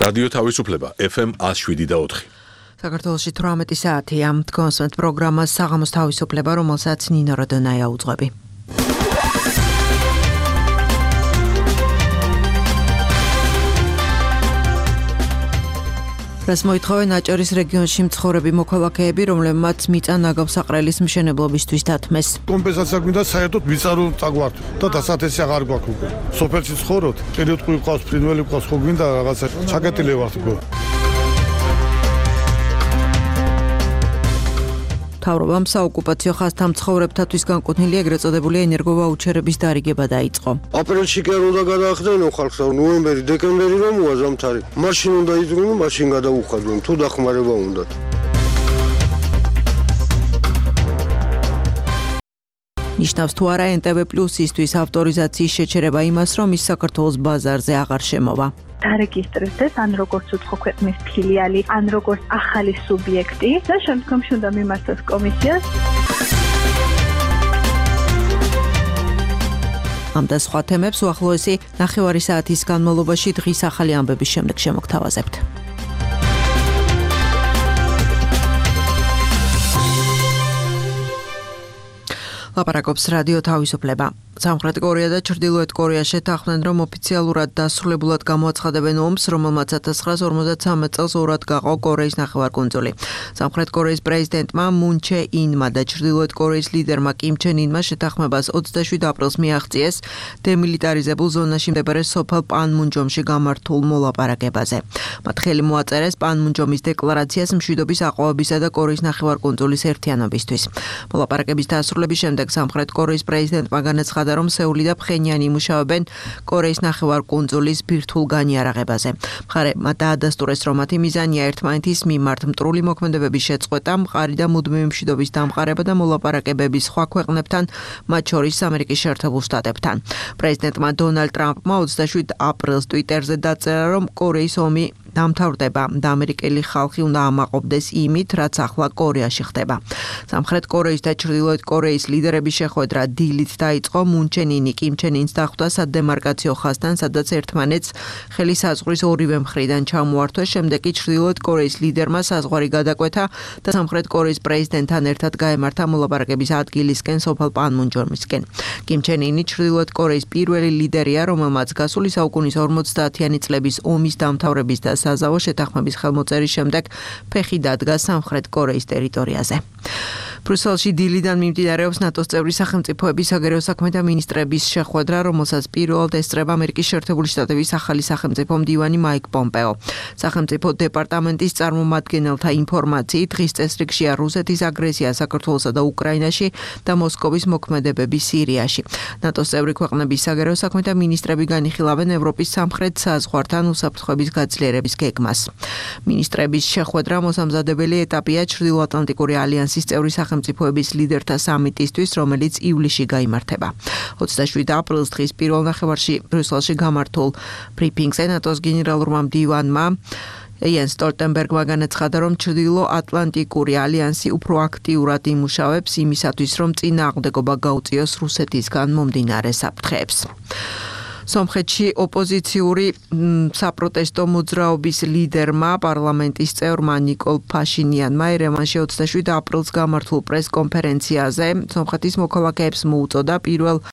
რადიო თავისუფლება FM 107.4. საქართველოში 18 საათია. კონსვენთ პროგრამას საღამოს თავისუფლება, რომელსაც ნინო როდონაია უძღვები. რას მოითხოვენ აჭარის რეგიონში მცხოვრები მოქალაქეები, რომლებმაც მიწა ნაგავსაყრელის მშენებლობისთვის დათმეს. კომპენსაცია გვინდა საერთოდ მიწარო წაგვართ და დასათესი აღარ გვაქვს უკვე. სოფელში ცხოვრობთ, ტერიტორიული ყავს, ფრინველი ყავს, ხო გვინდა რაღაცა ჩაკეტილი ვართ უკვე. მთავრობამ საოკუპაციო ხაზთან მცხოვრებთათვის განკუთვნილი ეგრეთ წოდებული ენერგოვაუჩერების დარიგება დაიწყო. აპრილში კი არ უნდა გადაახდენო ხალხს, ნოემბერი, დეკემბერი რომ უაზამთარი. მაშინ უნდა იძრულო, მაშინ გადაუხადონ, თუ დახმარება უნდათ. ნიშნავს თუ არა NTV+-ისთვის ავტორიზაციის შეჩერება იმას, რომ ის საქართველოს ბაზარზე აღარ შემოვა. დარეგისტრირდეს ან როგორც უცხო ქვეყნის ფილიალი, ან როგორც ახალი სუბიექტი და შემდგომში უნდა მიმართოს კომისიას. ამ და სხვა თემებს უახლოესი 9 საათის განმავლობაში დღის ახალი ამბების შემდეგ შემოგთავაზებთ. ლაპარაკობს რადიო თავისუფლება. სამხრეთ კორეა და ჩრდილოეთ კორეა შეთანხმდნენ, რომ ოფიციალურად დასრულებულად გამოაცხადებენ ომს, რომელმაც 1953 წელს ორად გაყო კორეის ნახევარკუნძული. სამხრეთ კორეის პრეზიდენტმა მუნ ჩე ინმა და ჩრდილოეთ კორეის ლიდერმა კიმ ჩენ ინმა შეთანხმებას 27 აპრილს მიაღწიეს დემილიტარიზებულ ზონაში მდებარე სოფელ პანმუნჯომში გამართულ მოლაპარაკებაზე. მათ ხელი მოაწერეს პანმუნჯომის დეკლარაციას მშვიდობის აყვავებისა და კორეის ნახევარკუნძულის ერთიანობისთვის. მოლაპარაკების დასრულების შემდეგ სამხრეთ კორეის პრეზიდენტმა განაცხადა, რომ სეული და ფხენიანი იმუშავებენ კორეის ნახევარკუნძულის ბირთვულ განიარაღებაზე. მხარეებმა დაადასტურეს, რომ მათი მიზანია ერთმანეთის მიმართ მტრული მოქმედებების შეწყვეტა, მყარი და მუდმივი მშვიდობის დამყარება და მოლაპარაკებები სხვა ქვეყნებთან, მათ შორის ამერიკის შეერთებულ შტატებთან. პრეზიდენტმა დონალდ ტრამპმა 27 აპრილს ტვიტერზე დაწერა, რომ კორეის ომი დამთავრდება და ამერიკელი ხალხი უნდა ამაყობდეს იმით, რაც ახლა კორეაში ხდება. სამხრეთ კორეის და ჩრდილოეთ კორეის ლიდერების შეხვედრა დილით დაიწყო. მუნ ჩენ ინი კიმ ჩენ ინს დახვდა სადემარკაციო ხაზთან, სადაც ერთმანეთს ხელი საზღვრის ორივე მხრიდან ჩამოართვეს. შემდეგ კი ჩრდილოეთ კორეის ლიდერმა საზღვარი გადაკვეთა და სამხრეთ კორეის პრეზიდენტთან ერთად გაემართა მოლაპარაკების ადგილისკენ სოფელ პანმუნჯომისკენ. კიმ ჩენ ინი ჩრდილოეთ კორეის პირველი ლიდერია, რომელმაც გასული საუკუნის 50-იანი წლების ომის დამთავრების და საზავო შეთანხმების ხელმოწერის შემდეგ ფეხი დადგა სამხრეთ კორეის ტერიტორიაზე. ბრიუსელში დილიდან მიმდინარეობს ნატოს წევრი სახელმწიფოების საგარეო საქმეთა მინისტრების შეხვედრა, რომელსაც პირველად ესწრება ამერიკის შეერთებული შტატების ახალი სახელმწიფო მდივანი მაიკ პომპეო. სახელმწიფო დეპარტამენტის წარმომადგენელთა ინფორმაციით, დღის წესრიგშია რუსეთის აგრესია საქართველოსა და უკრაინაში და მოსკოვის მოქმედებები სირიაში. ნატოს წევრი ქვეყნების საგარეო საქმეთა მინისტრები განიხილავენ ევროპის სამხრეთ საზღვართან უსაფრთხოების გაძლიერების გეგმას. მინისტრების შეხვედრა მოსამზადებელი ეტაპია ჩრდილოატლანტიკური ალიანსის წევრი სახელმწიფოების ლიდერთა სამიტისთვის, რომელიც ივლისში გაიმართება. 27 აპრილს დღის პირველ ნახევარში ბრიუსელში გამართულ ბრიფინგზე ნატოს გენერალურმა მდივანმა იენს სტოლტენბერგმა განაცხადა, რომ ჩრდილოატლანტიკური ალიანსი უფრო აქტიურად იმუშავებს იმისათვის, რომ წინააღმდეგობა გაუწიოს რუსეთისგან მომდინარე საფრთხეებს. სომხეთში ოპოზიციური საპროტესტო მოძრაობის ლიდერმა, პარლამენტის წევრმა ნიკოლ ფაშინიანმა ერევანში 27 აპრილს გამართულ პრესკონფერენციაზე სომხეთის მოქალაქეებს მოუწოდა 1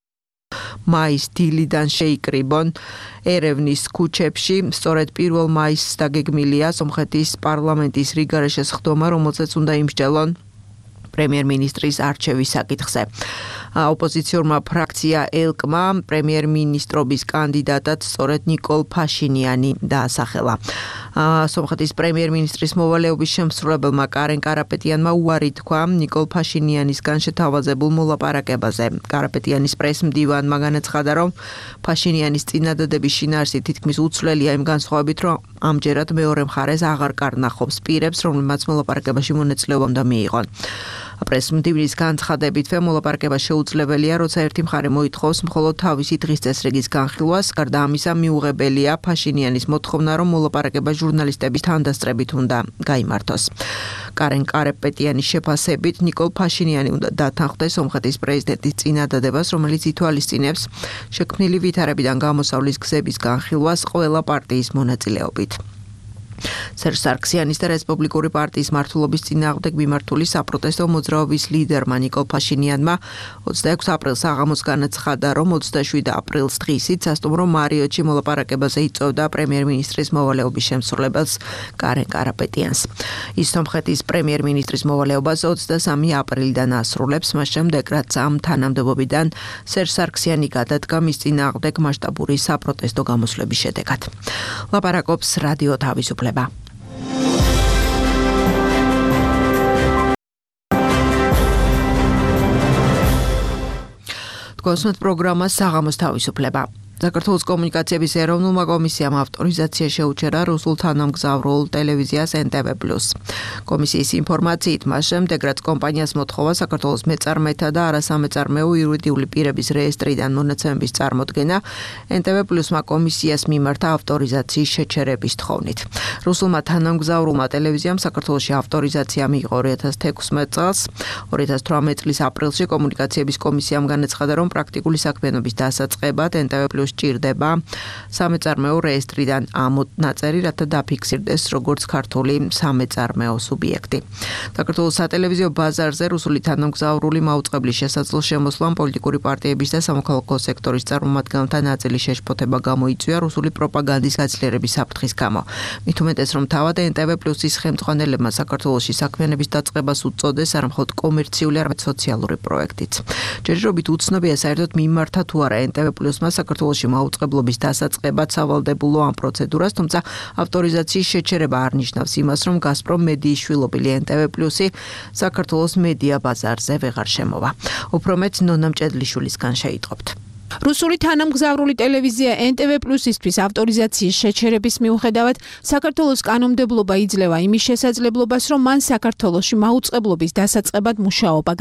მაის დილიდან შეიკრიბონ ერევნის ქუჩებში. სწორედ 1 მაისს დაგეგმილია სომხეთის პარლამენტის რიგარეშე სხდომა, რომელსაც უნდა იმსჯელონ პრემიერ-მინისტრის არჩევის საკითხზე. ოპოზიციურმა ფრაქცია ელკმა პრემიერ-მინისტრობის კანდიდატად სწორედ ნიკოლ ფაშინიანი დაასახელა. სომხეთის პრემიერ-მინისტრის მოვალეობის შემსრულებელმა კარენ კარაპეტიანმა უარი თქვა ნიკოლ ფაშინიანისგან შეთავაზებულ მოლაპარაკებაზე. კარაპეტიანის პრეს-მდივანმა განაცხადა, რომ ფაშინიანის წინადადების შინაარსი თითქმის უცვლელია იმ განსხვავებით, რომ ამჯერად მეორე მხარეს აღარ კარნახობს პირებს, რომლებმაც მოლაპარაკებაში მონაწილეობა უნდა მიიღონ. პრეს-მდივნის განცხადებით, მოლაპარაკება შეუძლებელია, როცა ერთი მხარე მოითხოვს მხოლოდ თავისი დღის წესრიგის განხილვას. გარდა ამისა, მიუღებელია ფაშინიანის მოთხოვნა, რომ მოლაპარაკება ჟურნალისტების თანდასწრებით უნდა გაიმართოს. კარენ კარაპეტიანის შეფასებით, ნიკოლ ფაშინიანი უნდა დათანხმდეს სომხეთის პრეზიდენტის წინადადებას, რომელიც ითვალისწინებს შექმნილი ვითარებიდან გამოსავლის გზების განხილვას ყველა პარტიის მონაწილეობით. სერჟ სარქსიანის და რესპუბლიკური პარტიის მმართველობის წინააღმდეგ მიმართული საპროტესტო მოძრაობის ლიდერმა ნიკოლ ფაშინიანმა 26 აპრილს საღამოს განაცხადა, რომ 27 აპრილს დღისით სასტუმრო მარიოტში მოლაპარაკებაზე იწვევდა პრემიერ-მინისტრის მოვალეობის შემსრულებელს კარენ კარაპეტიანს. ის სომხეთის პრემიერ-მინისტრის მოვალეობას 23 აპრილიდან ასრულებს, მას შემდეგ რაც ამ თანამდებობიდან სერჟ სარქსიანი გადადგა მის წინააღმდეგ მასშტაბური საპროტესტო გამოსვლების შედეგად. ლაპარაკობს რადიო თავისუფლება. გოსმეთ პროგრამა საღამოს თავისუფლება. საქართველოს კომუნიკაციების ეროვნულმა კომისიამ ავტორიზაცია შეუჩერა რუსულ თანამგზავრულ ტელევიზიას NTV+. კომისიის ინფორმაციით, მას შემდეგ რაც კომპანიას მოთხოვა საქართველოს მეწარმეთა და არასამეწარმეო იურიდიული პირების რეესტრიდან მონაცემების წარმოდგენა, NTV+-მა კომისიას მიმართა ავტორიზაციის შეჩერების თხოვნით. რუსულმა თანამგზავრულმა ტელევიზიამ საქართველოში ავტორიზაცია მიიღო 2016 წელს. 2018 წლის აპრილში კომუნიკაციების კომისიამ განაცხადა, რომ პრაქტიკული საქმიანობის დასაწყებად NTV+ ჭირდება სამეწარმეო რეესტრიდან ამ ნაწერი, რათა დაფიქსირდეს როგორც ქართული სამეწარმეო სუბიექტი. საქართველოს სატელევიზიო ბაზარზე რუსული თანამგზავრული მაუწყებლის შესაძლო შემოსვლამ პოლიტიკური პარტიების და სამოქალაქო სექტორის წარმომადგენელთა ნაწილის შეშფოთება გამოიწვია რუსული პროპაგანდის გაძლიერების საფრთხის გამო. მით უმეტეს, რომ თავად NTV+-ის ხელმძღვანელებმა საქართველოში საქმიანობის დაწყებას უწოდეს არა მხოლოდ კომერციული, არამედ სოციალური პროექტიც. ჯერჯერობით უცნობია საერთოდ მიმართა თუ არა NTV+-მა საქართველოში მაუწყებლობის დასაწყებად სავალდებულო ამ პროცედურას, თუმცა ავტორიზაციის შეჩერება არ ნიშნავს იმას, რომ გაზპრომ მედიის შვილობილი NTV+-ი საქართველოს მედია ბაზარზე ვეღარ შემოვა. უფრო მეტ ნონა მჭედლიშვილისგან შეიტყობთ. რუსული თანამგზავრული ტელევიზია NTV+-ისთვის ავტორიზაციის შეჩერების მიუხედავად საქართველოს კანონმდებლობა იძლევა იმის შესაძლებლობას, რომ მან საქართველოში მაუწყებლობის დასაწყებად მუშაობა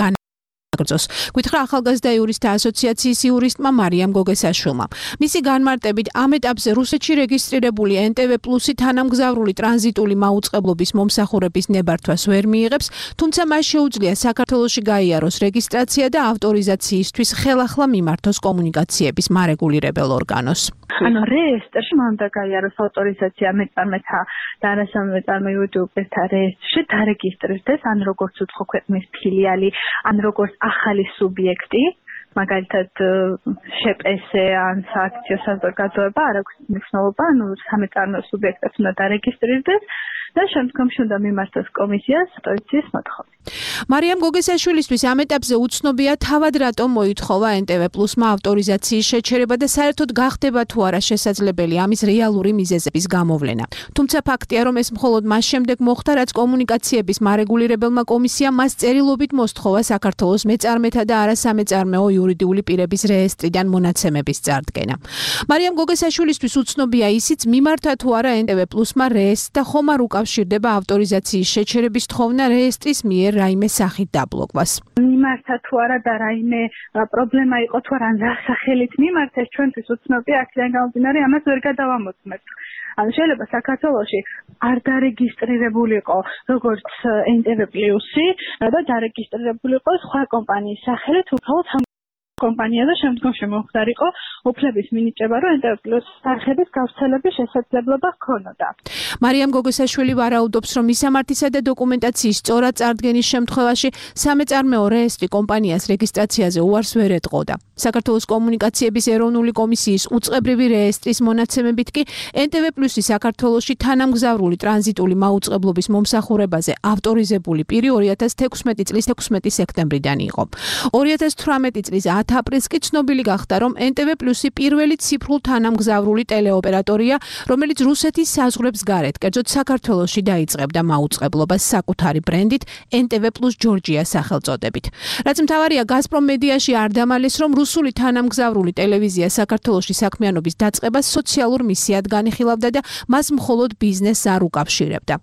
გაგრძოს. გითხრა ახალგაზრდა იურისტთა ასოციაციის იურისტმა მარიამ გოგესაშვილმა. მისი განმარტებით ამ ეტაპზე რუსეთში რეგისტრირებული NTV+-ი თანამგზავრული ტრანზიტული მაუწყებლობის მომსახურების ნებართვას ვერ მიიღებს, თუმცა მას შეუძლია საქართველოში გაიაროს რეგისტრაცია და ავტორიზაციისთვის ხელახლა მიმართოს კომუნიკაციების მარეგულირებელ ორგანოს. ანუ რეესტრში მან უნდა გაიაროს ავტორიზაცია მეწარმეთა და არასამეწარმეო იურიდიულთა რეესტრში დარეგისტრირდეს, ან როგორც უცხო ქვეყნის ფილიალი, ან როგორც ახალი სუბიექტი, მაგალითად შპს-ე ან სააქციო საზოგადოება, არ აქვს მნიშვნელობა, ანუ სამეწარმეო სუბიექტებს უნდა დარეგისტრირდეს და შემდგომში უნდა მიმართოს კომისიას ავტორიზაციის მოთხოვნა. მარიამ გოგესაშვილისთვის ამ ეტაპზე უცნობია თავად რატომ მოითხოვა NTV+-მა ავტორიზაციის შეჩერება და საერთოდ გახდება თუ არა შესაძლებელი ამის რეალური მიზეზების გამოვლენა. თუმცა ფაქტია, რომ ეს მხოლოდ მას შემდეგ მოხდა, რაც კომუნიკაციების მარეგულირებელმა კომისიამ მას წერილობით მოსთხოვა საქართველოს მეწარმეთა და არასამეწარმეო იურიდიული პირების რეესტრიდან მონაცემების წარდგენა. მარიამ გოგესაშვილისთვის უცნობია ისიც, მიმართა თუ არა NTV+-მა რეესტრს და ხომ არ უკავშირდება ავტორიზაციის შეჩერების თხოვნა რეესტრის მიერ რაიმე სახით დაბლოკვას. მიმართა თუ არა და რაიმე პრობლემა იყო თუ არა რა სახელით მიმართა, ეს ჩვენთვის უცნობია, აქედან გამომდინარე ამას ვერ გადავამოწმებთ. ანუ შეიძლება საქართველოში არ დარეგისტრირებულიყო როგორც NTV+-ი და დარეგისტრირებულიყო სხვა კომპანიის სახელით, უბრალოდ კომპანია და შემდგომში მომხდარიყო უფლების მინიჭება, რომ NTV+ არხების გავრცელების შესაძლებლობა ჰქონოდა. მარიამ გოგესაშვილი ვარაუდობს, რომ მისამართისა და დოკუმენტაციის სწორად წარდგენის შემთხვევაში სამეწარმეო რეესტრი კომპანიას რეგისტრაციაზე უარს ვერ ეტყოდა. საქართველოს კომუნიკაციების ეროვნული კომისიის უწყებრივი რეესტრის მონაცემებით კი NTV+-ი საქართველოში თანამგზავრული ტრანზიტული მაუწყებლობის მომსახურებაზე ავტორიზებული პირი 2016 წლის 16 სექტემბრიდან იყო. 2018 წლის 10 აპრილს კი ცნობილი გახდა, რომ NTV+-ი პირველი ციფრულ თანამგზავრული ტელეოპერატორია, რომელიც რუსეთის საზღვრებს გარეთ, კერძოდ საქართველოში დაიწყებდა მაუწყებლობას საკუთარი ბრენდით NTV+ ჯორჯია სახელწოდებით. რაც მთავარია, გაზპრომ მედიაში არ დამალეს, რომ რუსული თანამგზავრული ტელევიზია საქართველოში საქმიანობის დაწყებას სოციალურ მისიად განიხილავდა და მას მხოლოდ ბიზნესს არ უკავშირებდა.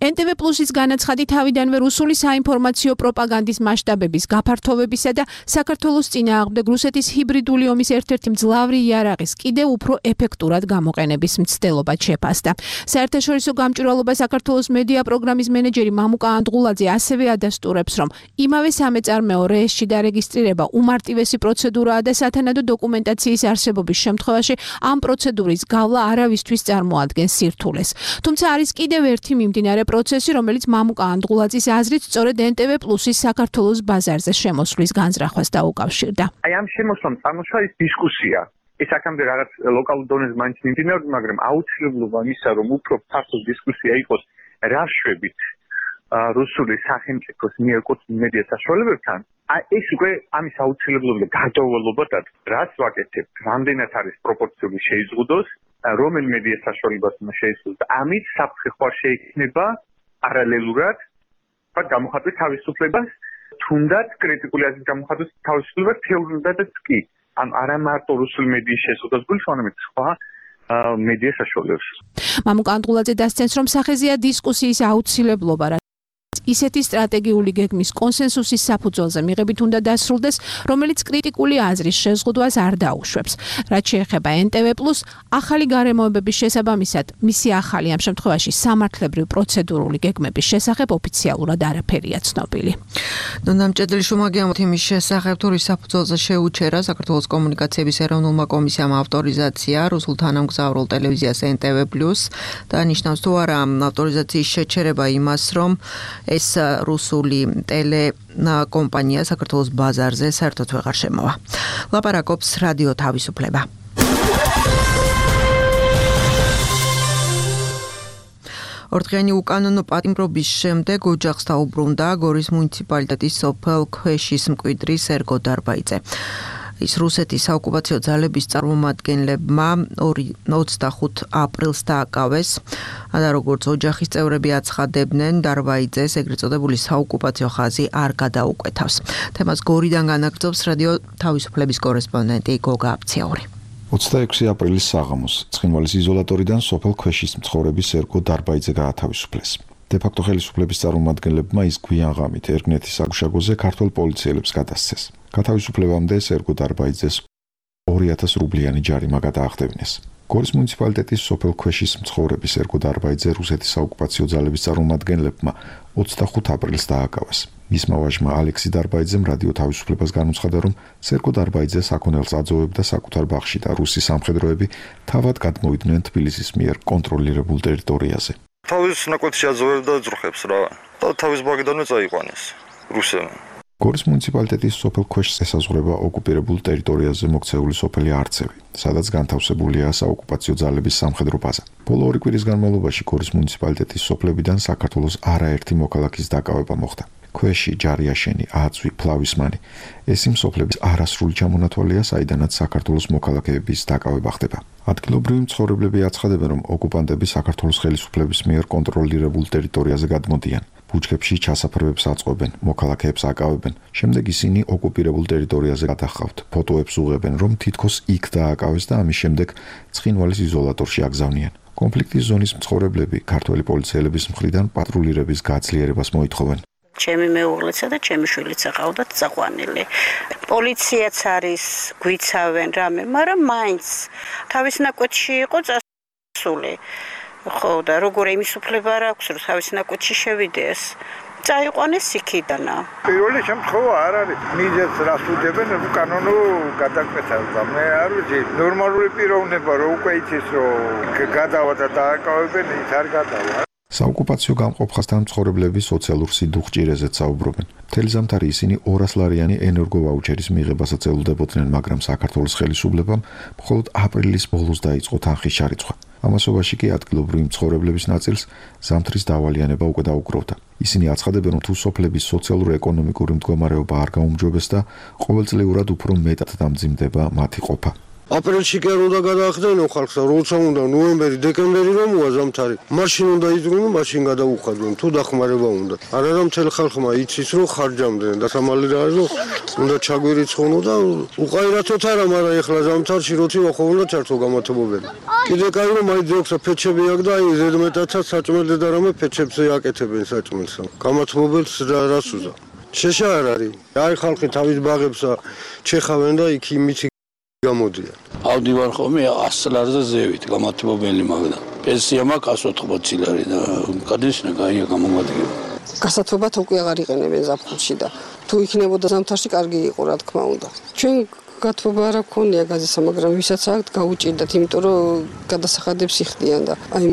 NTV+-ის განაცხადი თავიდანვე რუსული საინფორმაციო პროპაგანდის მასშტაბების გაფართოვებისა და საქართველოს წინააღმდეგ შემდეგ რუსეთის ჰიბრიდული ომის ერთ-ერთი მძლავრი იარაღის კიდევ უფრო ეფექტურად გამოყენების მცდელობა შეფასდა. საერთაშორისო გამჭვირვალობა საქართველოს მედია პროგრამის მენეჯერი მამუკა ანდღულაძე ასევე ადასტურებს, რომ იმავე სამეწარმეო რეესში დარეგისტრირება უმარტივესი პროცედურაა და სათანადო დოკუმენტაციის არსებობის შემთხვევაში ამ პროცედურის გავლა არავისთვის წარმოადგენს სირთულეს. თუმცა არის კიდევ ერთი მიმდინარე პროცესი, რომელიც მამუკა ანდღულაძის აზრით სწორედ NTV+-ის საქართველოს ბაზარზე შემოსვლის განზრახვას დაუკავშირდა. აი ამ შემოსვლამ წარმოშვა ის დისკუსია. ეს აქამდე რაღაც ლოკალურ დონეზე მაინც მიმდინარეობდა, მაგრამ აუცილებლობა იმისა, რომ უფრო ფართო დისკუსია იყოს რა შვებით რუსული სახელმწიფოს მიერ კუთვნილ მედია საშუალებებთან, ეს უკვე ამის აუცილებლობა და გარდაუვალობადად რაც ვაკეთებთ, რამდენად არის პროპორციული შეიზღუდოს, რომელ მედია საშუალებას უნდა შეიზღუდოს. ამით საფრთხე ხوار შეიქმნება პარალელურად გამოხატვის თავისუფლებას, თუნდაც კრიტიკული აზრის გამოხატვის თავისუფლებას თეორიულადაც კი. არა მარტო რუსული მედიის შეზღუდვას გულისხმობს, არამედ სხვა მედია საშუალებებს. მამუკა ანდღულაძე დასცენს, რომ სახეზეა დისკუსიის აუცილებლობა, ისეთი სტრატეგიული გეგმის კონსენსუსის საფუძველზე მიღებით უნდა დასრულდეს, რომელიც კრიტიკული აზრის შეზღუდვას არ დაუშვებს. რაც შეეხება NTV+, ახალი გარემოებების შესაბამისად, მისი ახალი ამ შემთხვევაში სამართლებრივ პროცედურული გეგმების შესახებ ოფიციალურად არაფერია ცნობილი. ნამჭედელი შუმაგიამოთ იმის შესახებ, თუ რის საფუძველზე შეუჩერა საქართველოს კომუნიკაციების ეროვნულმა კომისიამ ავტორიზაცია რუსულ თანამგზავრულ ტელევიზიას NTV+ და ნიშნავს თუ არა ავტორიზაციის შეჩერება იმას, რომ ეს რუსული ტელეკომპანია საქართველოს ბაზარზე საერთოდ ვეღარ შემოვა. ლაპარაკობს რადიო თავისუფლება. ორდღიანი უკანონო პატიმრობის შემდეგ ოჯახს დაუბრუნდა გორის მუნიციპალიტეტის სოფელ ქვეშის მკვიდრი სერგო დარბაიძე. ის რუსეთის საოკუპაციო ძალების წარმომადგენლებმა 25 აპრილს დააკავეს და როგორც ოჯახის წევრები აცხადებდნენ, დარბაიძეს ეგრეთ წოდებული საოკუპაციო ხაზი არ გადაუკვეთავს. თემას გორიდან განაგრძობს რადიო თავისუფლების კორესპონდენტი გოგა აფციაური. 26 აპრილის საღამოს ცხინვალის იზოლატორიდან სოფელ ქვეშის მცხოვრები სერგო დარბაიძე გაათავისუფლეს. დე-ფაქტო ხელისუფლების წარმომადგენლებმა ის გვიან ღამით ერგნეთის საგუშაგოზე ქართველ პოლიციელებს გადასცეს. გათავისუფლებამდე სერგო დარბაიძეს 2000 რუბლიანი ჯარიმა გადაახდევინეს. გორის მუნიციპალიტეტის სოფელ ქვეშის მცხოვრები სერგო დარბაიძე რუსეთის საოკუპაციო ძალების წარმომადგენლებმა 25 აპრილს დააკავეს. მისმა ვაჟმა ალექსი დარბაიძემ რადიო თავისუფლებას განუცხადა, რომ სერგო დარბაიძე საქონელს აძოვებდა საკუთარ ბაღში და რუსი სამხედროები თავად გადმოვიდნენ თბილისის მიერ კონტროლირებულ ტერიტორიაზე. თავის ნაკვეთში აძოვებდა ძროხებს რა და თავის ბაგიდანვე წაიყვანეს რუსებმა. გორის მუნიციპალიტეტის სოფელ ქვეშს ესაზღვრება ოკუპირებულ ტერიტორიაზე მოქცეული სოფელი არცევი, სადაც განთავსებულია საოკუპაციო ძალების სამხედრო ბაზა. ბოლო 2 კვირის განმავლობაში გორის მუნიციპალიტეტის სოფლებიდან საქართველოს არაერთი მოქალაქის დაკავება მოხდა. ქვეში, ჯარიაშენი, აწვი, ფლავისმანი. ეს იმ სოფლების არასრული ჩამონათვალია, საიდანაც საქართველოს მოქალაქეების დაკავება ხდება. ადგილობრივი მცხოვრებლები აცხადებენ, რომ ოკუპანტები საქართველოს ხელისუფლების მიერ კონტროლირებულ ტერიტორიაზე გადმოდიან. ბუჩქებში ჩასაფრებებს აწყობენ, მოქალაქეებს აკავებენ. შემდეგ ისინი ოკუპირებულ ტერიტორიაზე გადახავთ. ფოტოებს უღებენ, რომ თითქოს იქ დააკავეს და ამის შემდეგ ცხინვალის იზოლატორში აგზავნიან. კონფლიქტის ზონის მცხოვრებლები ქართველი პოლიციელების მხრიდან პატრულირების გაძლიერებას მოითხოვენ. ჩემი მეუღლეცა და ჩემი შვილიც აყავდათ წაყვანილი. პოლიციაც არის, გვიცავენ რამე, მაგრამ მაინც თავის ნაკვეთში იყო წასული. ხო და როგორ იმის უფლება არ აქვს, რომ თავის ნაკვეთში შევიდეს. წაიყვანეს იქიდანა. პირველი შემთხვევა არ არის. მიზეზს რას უდებენ უკანონო გადაკვეთაზე. მე არ ვიცი, ნორმალური პიროვნება რო უკვე იცის, რომ გადავა და დააკავებენ, ის არ გადავა. საოკუპაციო გამყოფხასთან მცხოვრებლები სოციალურ სიდუხჭირეზეც საუბრობენ. მთელი ზამთარი ისინი 200 ლარიანი ენერგოვაუჩერის მიღებასაც ელოდებოდნენ, მაგრამ საქართველოს ხელისუფლებამ მხოლოდ აპრილის ბოლოს დაიწყო თანხის ჩარიცხვა. ამასობაში კი ადგილობრივი მცხოვრებლების ნაწილს ზამთრის დავალიანება უკვე დაუკრავდა. ისინი აცხადებენ, რომ თუ სოფლების სოციალურ-ეკონომიკური მდგომარეობა არ გაუმჯობეს და ყოველწლიურად უფრო მეტად დამძიმდება მათი ყოფა. აპრილში კი არ უნდა გადაახდენო ხალხს, როცა უნდა ნოემბერი, დეკემბერი რომ მოვა ზამთარი. მაშინ უნდა იძღვნო, მაშინ გადაუხადონ, თუ დახმარება უნდა. არა მთელ ხალხმა იცის, რომ ხარჯამდენ და სამალი რა არის, რომ უნდა ჩაგვირიცხონო და უყაირათოთ არა, მაგრამ ეხლა ზამთარში როცა ვახოვნდა ჩართო გამათობობელი. კიდე კაი რომ აი ძოქს ფეჩები აქვს და აი ზედმეტადაც საჭმელზე და რამე ფეჩებზე აკეთებენ საჭმელს. გამათობებელს რას უზა. შეშა არ არის. აი ხალხი თავის ბაღებსა ჩეხავენ და იქ იმით გამოდიან. ავდივარ ხოლმე 100 ლარზე ზევით გამათბობელი მაგდა. პენსია მაქვს 180 ლარი და გადაშნა გაია გამომადგება. გასათბობად უკვე აღარ იყენებენ ზაფხულში და თუ იქნებოდა ზამთარში კარგი იყო რა თქმა უნდა. ჩვენ გათბობა არ აქვს გაზისა, მაგრამ ვისაც აქვს გაუჭირდათ, იმიტომ რომ გადასახადებს იხდიან და აი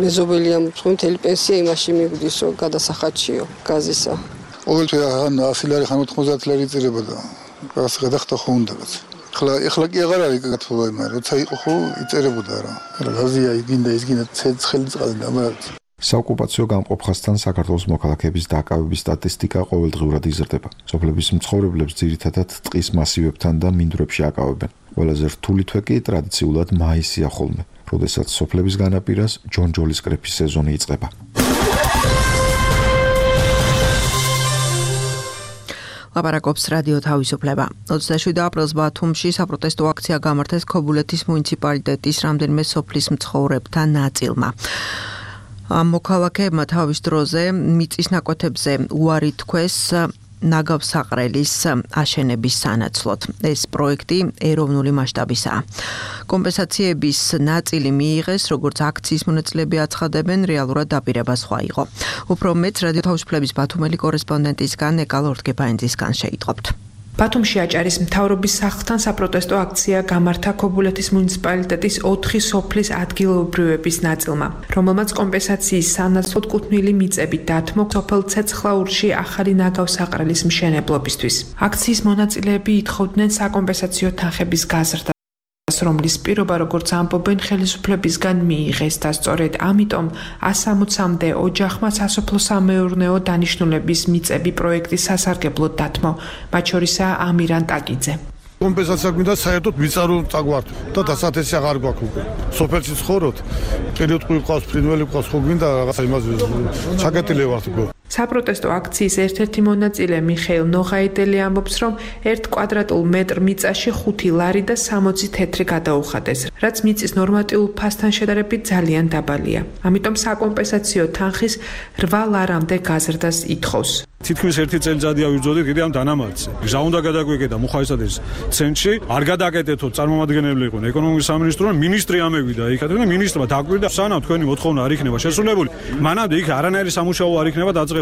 მეზობელი ამ მთელი პენსია იმაში მიგვდის, რომ გადასახადშიო გაზისა. ყოველთვის ან 100 ლარი, 90 ლარი იწირებოდა. რაღაც გადახდა ხო უნდა რაც. ეხლა კი აღარ არის გათბობა, მაგრამ როცა იყო ხო იწერებოდა რა. გაზია იგინდა ის გინდა ცხელი წყალი და მაგრამ საოკუპაციო გამყოფხასთან საქართველოს მოქალაქეების დაკავების სტატისტიკა ყოველდღიურად იზრდება. სოფლების მცხოვრებლებს ძირითადად ტყის მასივებთან და მინდვრებში აკავებენ. ყველაზე რთული თვე კი ტრადიციულად მაისია ხოლმე, როდესაც სოფლების განაპირას ჯონჯოლის კრეფის სეზონი იწყება. ლაპარაკობს რადიო თავისუფლება. 27 აპრილს ბათუმში საპროტესტო აქცია გამართეს ქობულეთის მუნიციპალიტეტის რამდენიმე სოფლის მცხოვრებთა ნაწილმა. მოქალაქეებმა თავის დროზე მიწის ნაკვეთებზე უარი თქვეს ნაგავსაყრელის აშენების სანაცვლოდ. ეს პროექტი ეროვნული მასშტაბისაა. კომპენსაციების ნაწილი მიიღეს, როგორც აქციის მონაწილეები აცხადებენ, რეალურად დაპირება სხვა იყო. უფრო მეტ რადიო თავისუფლების ბათუმელი კორესპონდენტისგან ეკალ ორთგეფაინძისგან შეიტყობთ. ბათუმში აჭარის მთავრობის სახლთან საპროტესტო აქცია გამართა ქობულეთის მუნიციპალიტეტის 4 სოფლის ადგილობრივების ნაწილმა, რომელმაც კომპენსაციის სანაცვლოდ კუთვნილი მიწები დათმო სოფელ ცეცხლაურში ახალი ნაგავსაყრელის მშენებლობისთვის. აქციის მონაწილეები ითხოვდნენ საკომპენსაციო თანხების გაზრდას, რომლის პირობა, როგორც ამბობენ, ხელისუფლებისგან მიიღეს და სწორედ ამიტომ 160-მდე ოჯახმა სასოფლო-სამეურნეო დანიშნულების მიწები პროექტის სასარგებლოდ დათმო, მათ შორისაა ამირან ტაკიძე. კომპენსაცია გვინდა საერთოდ ვიწარო წაგვართ და დასათესი აღარ გვაქვს უკვე. სოფელში ცხოვრობთ, პერიოდული ყავს, ფრინველი ყავს, ხო გვინდა რაღაცა იმაზე ჩაკეტილი ვართ უკვე. საპროტესტო აქციის ერთ-ერთი მონაწილე მიხეილ ნოღაიდელი ამბობს, რომ 1 კვადრატულ მეტრ მიწაში 5 ლარი და 60 თეთრი გადაუხადეს, რაც მიწის ნორმატიულ ფასთან შედარებით ძალიან დაბალია. ამიტომ საკომპენსაციო თანხის 8 ლარამდე გაზრდას ითხოვს. თითქმის 1 წელიწადი ავირძოდით კიდე ამ დანამატზე. გზა უნდა გადაგვეკეტა მუხაისადეს ცენტრში, არ გადაკეტეთო წარმომადგენელი იყვნენ ეკონომიკის სამინისტრო, მინისტრი ამევიდა იქად და მინისტრმა დაკვირდა, სანამ თქვენი მოთხოვნა არ იქნება შესრულებული, მანამდე იქ არანაირი სამუშაო არ იქნება დაწყებული.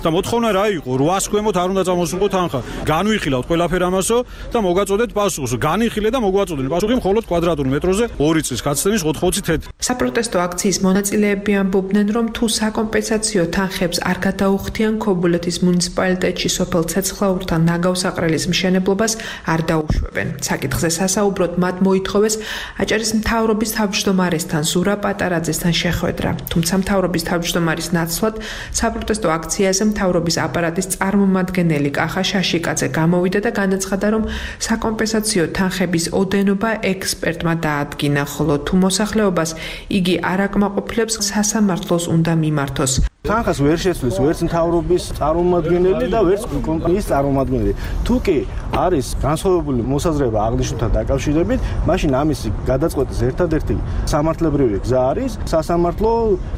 და მოთხოვნა რა იყო? 800 ქვემოთ არ უნდა წამოსულიყო თანხა. განვიხილავთ ყველაფერ ამასო და მოგაწოდეთ პასუხს. განიხილე და მოგვაწოდნენ პასუხი მხოლოდ კვადრატულ მეტროზე 2 წლის გაცდენის 80 თეთრი. საპროტესტო აქციის მონაწილეები ამბობდნენ, რომ თუ საკომპენსაციო თანხებს არ გადაუხდიან ქობულეთის მუნიციპალიტეტში სოფელ ცეცხლაურთან ნაგავსაყრელის მშენებლობას არ დაუშვებენ. საკითხზე სასაუბროდ მათ მოითხოვეს აჭარის მთავრობის თავმჯდომარესთან ზურა პატარაძესთან შეხვედრა. თუმცა მთავრობის თავმჯდომარის ნაცვლად საპროტესტო აქციაზე მთავრობის აპარატის წარმომადგენელი კახა შაშიკაძე გამოვიდა და განაცხადა, რომ საკომპენსაციო თანხების ოდენობა ექსპერტმა დაადგინა, ხოლო თუ მოსახლეობას იგი არ აკმაყოფილებს, სასამართლოს უნდა მიმართოს. თანხას ვერ შეცვლის ვერც მთავრობის წარმომადგენელი და ვერც კომპანიის წარმომადგენელი. თუ კი არის განსხვავებული მოსაზრება აღნიშნულთან დაკავშირებით, მაშინ ამისი გადაწყვეტის ერთადერთი სამართლებრივი გზა არის სასამართლო.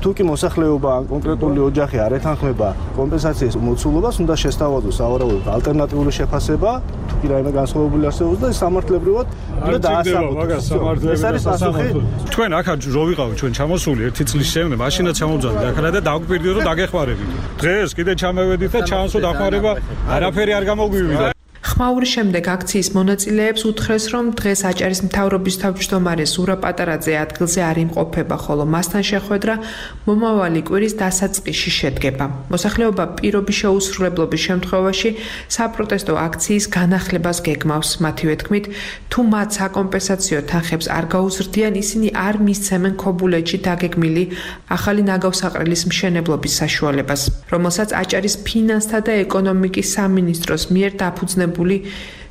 თუ კი მოსახლეობა ან კონკრეტული ოჯახი არ ეთანხმება კომპენსაციის მოცულობას, უნდა შესთავაზოს სავარაუდოდ ალტერნატიული შეფასება, თუ კი რაიმე განსხვავებული არსებობს და სამართლებრივად უნდა დაასაბუთოს. ეს არის პასუხი. თქვენ აქ რო ვიყავით ჩვენ ჩამოსული 1 წლის შემდეგ, მაშინაც ჩამოვძანთ აქ და დაგვირდით რომ დაგეხმარებით. დღეს კიდე ჩამევედით და ჩანს რომ დახმარება არაფერი არ გამოგვივიდა. ხმაურის შემდეგ აქციის მონაწილეებს უთხრეს, რომ დღეს აჭარის მთავრობის თავმჯდომარე ზურა პატარაძე ადგილზე არ იმყოფება, ხოლო მასთან შეხვედრა მომავალი კვირის დასაწყისში შედგება. მოსახლეობა პირობის შეუსრულებლობის შემთხვევაში საპროტესტო აქციის განახლებას გეგმავს. მათივე თქმით, თუ მათ საკომპენსაციო თანხებს არ გაუზრდიან, ისინი არ მისცემენ ქობულეთში დაგეგმილი ახალი ნაგავსაყრელის მშენებლობის საშუალებას, რომელსაც აჭარის ფინანსთა და ეკონომიკის სამინისტროს მიერ დაფუძნებული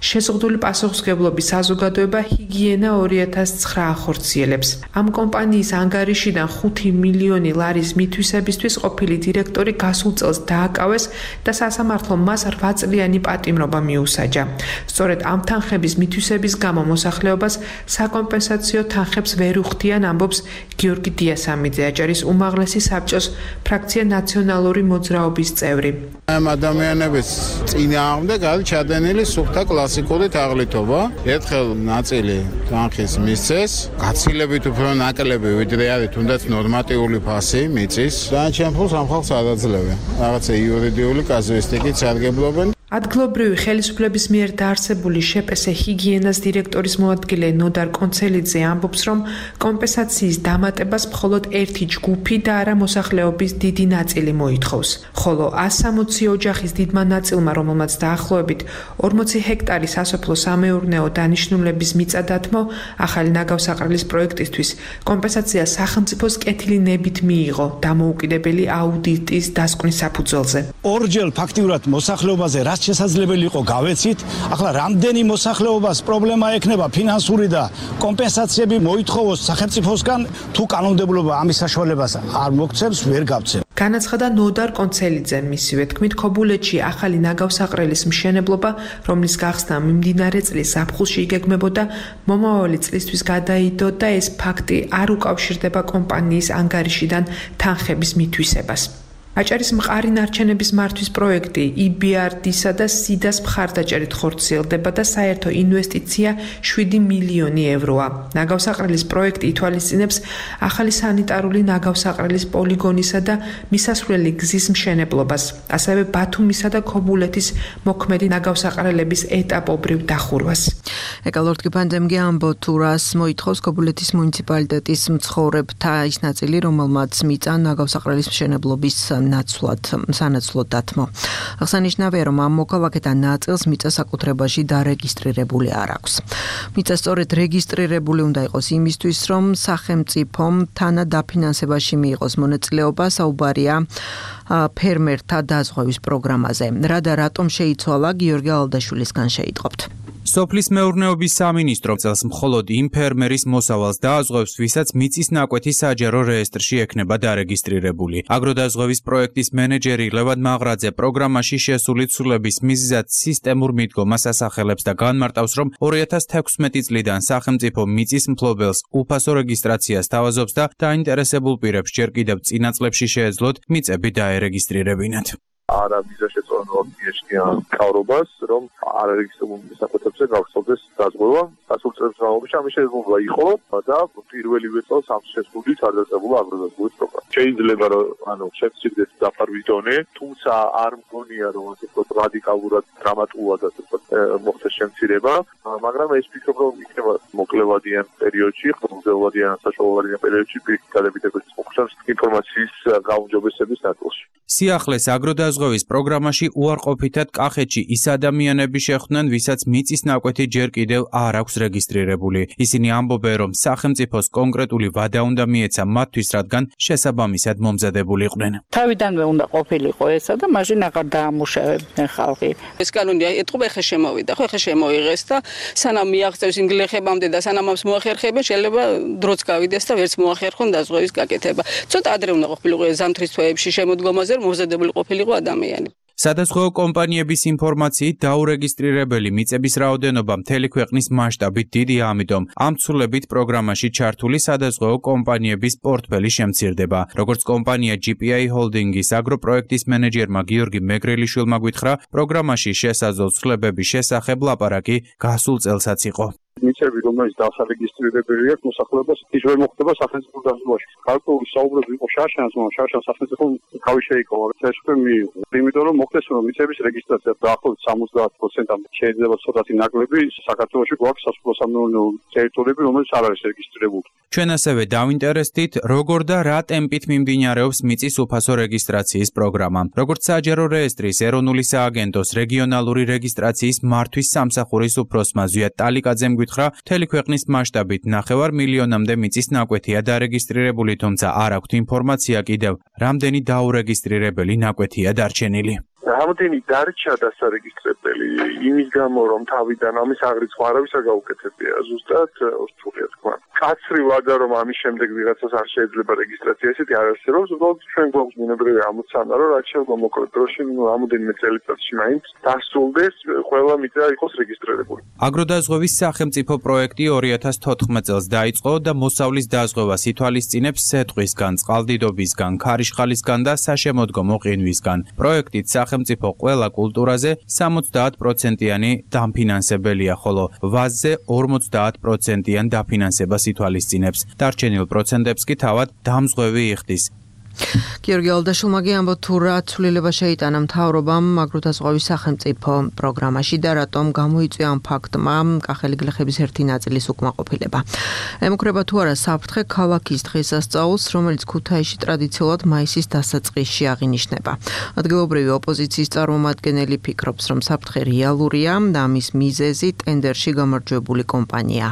შეზღუდული პასუხისმგებლობის საზოგადოება ჰიგიენა 2009 ახორციელებს. ამ კომპანიის ანგარიშიდან 5 მილიონი ლარის მითვისებისთვის ყოფილი დირექტორი გასულ წელს დააკავეს და სასამართლომ მას 8 წლიანი პატიმრობა მიუსაჯა. სწორედ ამ თანხების მითვისების გამო მოსახლეობას საკომპენსაციო თანხებს ვერ უხდიან, ამბობს გიორგი დიასამიძე, აჭარის უმაღლესი საბჭოს ფრაქცია ნაციონალური მოძრაობის წევრი. ამ ადამიანების წინააღმდეგ არის ჩადენილი სუფთა კლასიკური თაღლითობა. ერთხელ ნაწილი თანხის მისცეს, გაცილებით უფრო ნაკლები ვიდრე არის თუნდაც ნორმატიული ფასი მიწის. დანარჩენ ფულს ამ ხალხს არ აძლევენ. რაღაცა იურიდიული კაზუისტიკით სარგებლობენ. ადგილობრივი ხელისუფლების მიერ დაარსებული შეპესე ჰიგიენას დირექტორის მოადგილე ნოდარ კონცელიძე ამბობს, რომ კომპენსაციის დამატებას მხოლოდ ერთი ჯგუფი და არა მოსახლეობის დიდი ნაწილი მოითხოვს. ხოლო 160 ოჯახის დიდმა ნაწილმა, რომელმაც დაახლოებით 40 ჰექტარი სასოფლო-სამეურნეო დანიშნულების მიწა დათმო, ახალი ნაგავსაყრელის პროექტისთვის კომპენსაცია სახელმწიფოს კეთილი ნებით მიიღო დამოუკიდებელი აუდიტის დასკვნის საფუძველზე. ორჯერ ფაქტიურად მოსახლეობაზე შესაძლებელი იყო გავეცით. ახლა რამდენი მოსახლეობას პრობლემა ექნება ფინანსური და კომპენსაციები მოითხოვოს სახელმწიფოსგან, თუ კანონმდებლობა ამის საშუალებას არ მოგცემს, ვერ გავცემ. განაცხადა ნოდარ კონცელიძე. მისივე თქმით, ქობულეთში ახალი ნაგავსაყრელის მშენებლობა, რომლის გახსნა მიმდინარე წლის ზაფხულში იგეგმებოდა, მომავალი წლისთვის გადაიდო და ეს ფაქტი არ უკავშირდება კომპანიის ანგარიშიდან თანხების მითვისებას. აჭარის მყარი ნარჩენების მართვის პროექტი EBRD-სა და SIDA-ს მხარდაჭერით ხორციელდება და საერთო ინვესტიცია 7 მილიონი ევროა. ნაგავსაყრელის პროექტი ითვალისწინებს ახალი სანიტარული ნაგავსაყრელის პოლიგონისა და მისასვლელი გზის მშენებლობას, ასევე ბათუმისა და ქობულეთის მოქმედი ნაგავსაყრელების ეტაპობრივ დახურვას. ეკალორტკი პანდემია ამბობ თუ რას მოითხოვს ქობულეთის მუნიციპალიტეტის მცხოვრებთა ის ნაწილი, რომელმაც მიწა ნაგავსაყრელის მშენებლობის სანაცვლოდ დათმო. აღსანიშნავია, რომ ამ მოქალაქეთა ნაწილს მიწა საკუთრებაში დარეგისტრირებული არ აქვს. მიწა სწორედ რეგისტრირებული უნდა იყოს იმისთვის, რომ სახელმწიფომ თანადაფინანსებაში მიიღოს მონაწილეობა. საუბარია ფერმერთა დაზღვევის პროგრამაზე. რა და რატომ შეიცვალა, გიორგი ალდაშვილისგან შეიტყობთ. სოფლის მეურნეობის სამინისტრო წელს მხოლოდ იმ ფერმერის მოსავალს დააზღვევს, ვისაც მიწის ნაკვეთი საჯარო რეესტრში ექნება დარეგისტრირებული. აგროდაზღვევის პროექტის მენეჯერი ლევან მაღრაძე პროგრამაში შესული ცვლილების მიზეზად სისტემურ მიდგომას ასახელებს და განმარტავს, რომ 2016 წლიდან სახელმწიფო მიწის მფლობელს უფასო რეგისტრაციას თავაზობს და დაინტერესებულ პირებს ჯერ კიდევ წინა წლებში შეეძლოთ მიწები დაერეგისტრირებინათ. არა მიზაშეწონილად მიეშკიან კავრობას, რომ არარეგისტრირებულ საკუთრებზე გავხსოვდეს დაზღვევა. გასულ წელს განმავლობაში ამის შესაძლებლობა იყო და პირველივე წელს ამ შესრულით არ დაწყებულა აგროდაზღვევის პროგრამა. შეიძლება რომ შეცდეთ დაფარვის დონე, თუმცა არ მგონია რომ ასე ვთქვათ რადიკალურად დრამატულად ასე ვთქვათ მოხდეს შემცირება, მაგრამ ეს ფიქრობ რომ იქნება მოკლევადიან პერიოდში, ხმელთაშუაზღვისპირეთიან საშუალოვადიან პერიოდში პირიქით გადებითებების მოხდას ინფორმაციის გაუმჯობესების ნაწილში. სიახლეს აგროდაზღვევის პროგრამაში უარყოფითად კახეთში ის ადამიანები შეხვდნენ, ვისაც მიწის ნაკვეთი ჯერ კიდევ არ აქვს რეგისტრირებული. ისინი ამბობენ, რომ სახელმწიფოს კონკრეტული ვადა უნდა მიეცა მათთვის, რადგან შესაბამისად მომზადებული იყვნენ. თავიდანვე უნდა ყოფილიყო ესა და მაშინ აღარ დაამუშავებდნენ ხალხი. ეს კანონი ეტყობა ეხა შემოვიდა, ხო ეხა შემოიღეს და სანამ მიაღწევს იმ გლეხებამდე და სანამ ამს მოახერხებენ, შეიძლება დროც გავიდეს და ვერც მოახერხონ დაზღვევის გაკეთება. ცოტა ადრე უნდა ყოფილიყო ზამთრის თვეებში შემოდგომაზე მომზადებული ყოფილიყო ადამიანი. სადაზღვეო კომპანიების ინფორმაციით დაურეგისტრირებელი მიწების რაოდენობა მთელი ქვეყნის მასშტაბით დიდია, ამიტომ ამ ცვლილებით პროგრამაში ჩართული სადაზღვეო კომპანიების პორტფელი შემცირდება. როგორც კომპანია GPI Holding-ის აგროპროექტის მენეჯერმა გიორგი მეგრელიშვილმა გითხრა, პროგრამაში შესაძლო ცვლილებების შესახებ ლაპარაკი გასულ წელსაც იყო. მიწები, რომელიც დასარეგისტრირებელი აქვს მოსახლეობას, ის ვერ მოხდება სახელმწიფო დაზღვევაში. გარკვეული საუბრები იყო შაშანს, მაგრამ შაშანს სახელმწიფო თავი შეიკავა, ეს უკვე მიიღო. იმიტომ რომ მოხდეს რომ მიწების რეგისტრაცია დაახლოებით 70%-ამდე შეიძლება ცოტათი ნაკლები საქართველოში გვაქვს სასოფლო-სამეურნეო ტერიტორიები, რომელიც არ არის რეგისტრირებული. ჩვენ ასევე დავინტერესდით, როგორ და რა ტემპით მიმდინარეობს მიწის უფასო რეგისტრაციის პროგრამა. როგორც საჯარო რეესტრის ეროვნული სააგენტოს რეგიონალური რეგისტრაციის მართვის სამსახურის უფროსმა ზვიად ტალიკაძემ გითხრა, მთელი ქვეყნის მასშტაბით 9 მილიონამდე მიწის ნაკვეთია დარეგისტრირებული, თუმცა არ აქვთ ინფორმაცია კიდევ, რამდენი დაურეგისტრირებელი ნაკვეთია დარჩენილი. რამდენი დარჩა დასარეგისტრებელი იმის გამო რომ თავიდან ამის აღრიცხვა არავისა გაუკეთებია ზუსტად რთულია თქვა. კაცრი ვადა რომ ამის შემდეგ ვიღაცას არ შეიძლება რეგისტრაცია ესეთი არ არსებობს, უბრალოდ ჩვენ გვაქვს ბუნებრივი ამოცანა რომ რაც შეიძლება მოკლედ დროში რამოდენიმე წელიწადში მაინც დასრულდეს ყველა მიწა იყოს რეგისტრირებული. აგროდაზღვევის სახელმწიფო პროექტი 2014 წელს დაიწყო და მოსავლის დაზღვევას ითვალისწინებს სეტყვისგან, წყალდიდობისგან, ქარიშხალისგან და საშემოდგომო ყინვისგან. პროექტით სახელმწიფო ყველა კულტურაზე 70%-იანი დამფინანსებელია, ხოლო ვაზზე 50%-იან დაფინანსებას ითვალისწინებს. დარჩენილ პროცენტებს კი თავად დამზღვევი იხდის. გიორგი ალდაშულმაგი ამბობ თუ რა ცვლილება შეიტანა მთავრობამ აგროდაზღვევის სახელმწიფო პროგრამაში და რატომ გამოიწვია ამ ფაქტმა კახელი გლეხების ერთი ნაწილის უკმაყოფილება. ემუქრება თუ არა საფრთხე ქალაქის დღესასწაულს, რომელიც ქუთაისში ტრადიციულად მაისის დასაწყისში აღინიშნება. ადგილობრივი ოპოზიციის წარმომადგენელი ფიქრობს, რომ საფრთხე რეალურია და ამის მიზეზი ტენდერში გამარჯვებული კომპანია.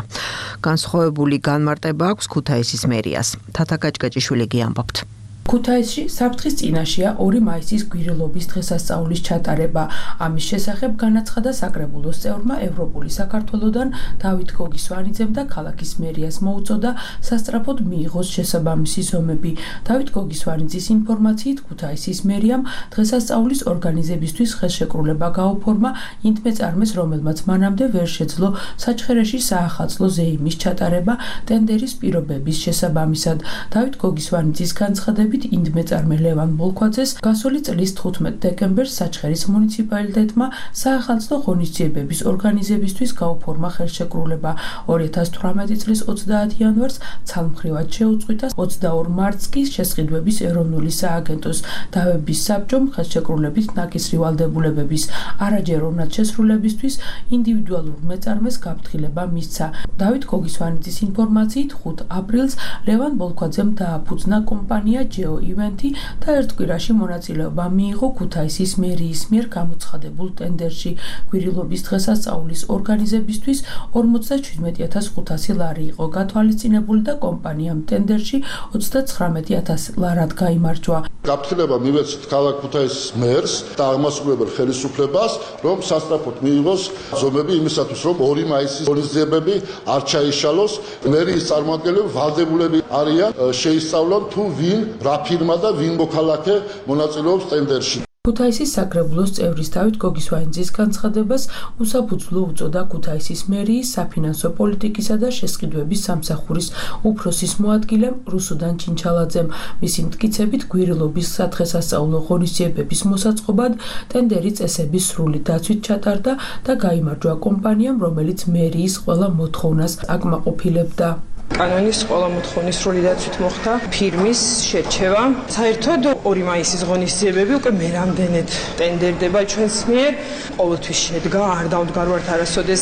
განსხვავებული განმარტება აქვს ქუთაისის მერიას. თათა კაჭკაჭიშვილი ამბობთ. ქუთაისში საფრთხის წინაშეა 2 მაისის გვირილობის დღესასწაულის ჩატარება. ამის შესახებ განაცხადა საკრებულოს წევრმა ევროპული საქართველოდან დავით გოგისვანიძემ და ქალაქის მერიას მოუწოდა სასწრაფოდ მიიღოს შესაბამისი ზომები. დავით გოგისვანიძის ინფორმაციით ქუთაისის მერიამ დღესასწაულის ორგანიზებისთვის ხელშეკრულება გაუფორმა იმ მეწარმეს, რომელმაც მანამდე ვერ შეძლო საჩხერეში საახალწლო ზეიმის ჩატარება ტენდერის პირობების შესაბამისად. დავით გოგისვანიძის განცხადებით ინდმეწარმე ლევან ბოლქვაძეს გასული წლის 15 დეკემბერს საჩხერის მუნიციპალიტეტმა საახალწლო ღონისძიებების ორგანიზებისთვის გაუფორმა ხელშეკრულება. 2018 წლის 30 იანვარს ცალმხრივად შეუწყვიტა, 22 მარტს კი შესყიდვების ეროვნული სააგენტოს დავების საბჭომ ხელშეკრულებით ნაკისრი ვალდებულებების არაჯეროვნად შესრულებისთვის ინდივიდუალურ მეწარმეს გაფრთხილება მისცა. დავით გოგისვანიძის ინფორმაციით 5 აპრილს ლევან ბოლქვაძემ დააფუძნა კომპანია ივენთი და ერთ კვირაში მონაწილეობა მიიღო ქუთაისის მერიის მიერ გამოცხადებულ ტენდერში. გვირილობის დღესასწაულის ორგანიზებისთვის 47500 ლარი იყო გათვალისწინებული და კომპანიამ ტენდერში 39000 ლარად გაიმარჯვა. გაფრთხილება მივეცით ქალაქ ქუთაისის მერს და აღმასრულებელ ხელისუფლებას, რომ სასწრაფოდ მიიღოს ზომები იმისათვის, რომ 2 მაისის ღონისძიებები არ ჩაიშალოს. მერიის წარმომადგენლები ვალდებულები არიან შეისწავლონ თუ ვინ რა ფირმა და ვინ მოქალაქე მონაწილეობს ტენდერში. ქუთაისის საკრებულოს წევრის დავით გოგისვანიძის განცხადებას უსაფუძვლო უწოდა ქუთაისის მერიის საფინანსო პოლიტიკისა და შესყიდვების სამსახურის უფროსის მოადგილემ რუსუდან ჩინჩალაძემ. მისი მტკიცებით გვირილობის სადღესასწაულო ღონისძიებების მოსაწყობად ტენდერი წესების სრული დაცვით ჩატარდა და გაიმარჯვა კომპანიამ, რომელიც მერიის ყველა მოთხოვნას აკმაყოფილებდა. კანონის ყველა მოთხოვნის სრული დაცვით მოხდა ფირმის შერჩევა. საერთოდ 2 მაისის ღონისძიებები უკვე მერამდენედ ტენდერდება ჩვენს მიერ. ყოველთვის შედგა, არ დავდგარვართ არასოდეს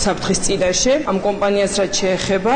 საფრთხის წინაშე. ამ კომპანიას რაც შეეხება,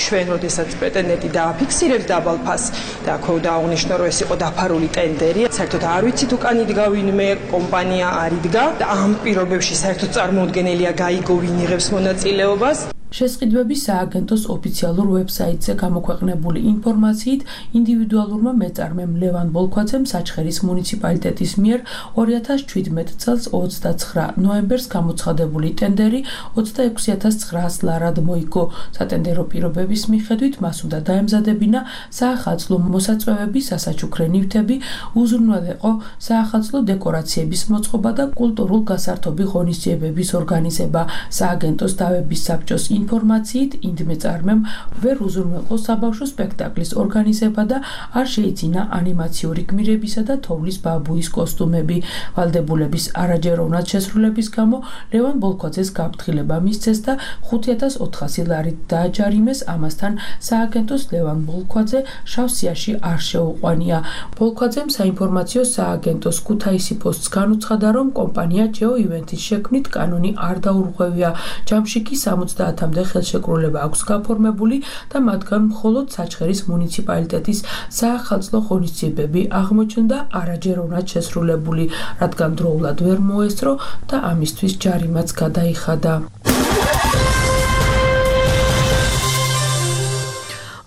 ჩვენ როდესაც პრეტენდენტი დააფიქსირებს დაბალ ფასს და აქ დააღნიშნო, რომ ეს იყო დაფარული ტენდერი. საერთოდ არ ვიცით უკან იდგა ვინმე, კომპანია არ იდგა და ამ პირობებში საერთოდ წარმოუდგენელია გაიგო ვინ იღებს მონაწილეობას. შესყიდვების სააგენტოს ოფიციალურ ვებსაიტზე გამოქვეყნებული ინფორმაციით ინდივიდუალურმა მეწარმემ ლევან ბოლქვაძემ საჩხერის მუნიციპალიტეტის მიერ 2017 წელს 29 ნოემბერს გამოცხადებული ტენდერი 26900 ლარად მოიგო. სატენდერო პირობების მიხედვით მას უნდა დაემზადებინა საახალწლო მოსაწვევები, სასაჩუქრე ნივთები, უზრუნველეყო საახალწლო დეკორაციების მოწყობა და კულტურულ გასართობი ღონისძიებების ორგანიზება. სააგენტოს დავების საბჭოს ინფორმაციით ინდმეწარმემ ვერ უზრუნველყო საბავშვო სპექტაკლის ორგანიზება და არ შეიძინა ანიმაციური გმირებისა და თოვლის ბაბუის კოსტუმები. ვალდებულების არაჯეროვნად შესრულების გამო ლევან ბოლქვაძეს გაფრთხილება მისცეს და 5400 ლარით დააჯარიმეს. ამასთან სააგენტოს ლევან ბოლქვაძე შავ სიაში არ შეუყვანია. ბოლქვაძემ საინფორმაციო სააგენტოს ქუთაისი პოსტს განუცხადა, რომ კომპანია ჯეო ივენთის შექმნით კანონი არ დაურღვევია. ჯამში კი 70 ხელშეკრულება აქვს გაფორმებული და მათგან მხოლოდ საჩხერის მუნიციპალიტეტის საახალწლო ღონისძიებები აღმოჩნდა არაჯეროვნად შესრულებული, რადგან დროულად ვერ მოესწრო და ამისთვის ჯარიმაც გადაიხადა.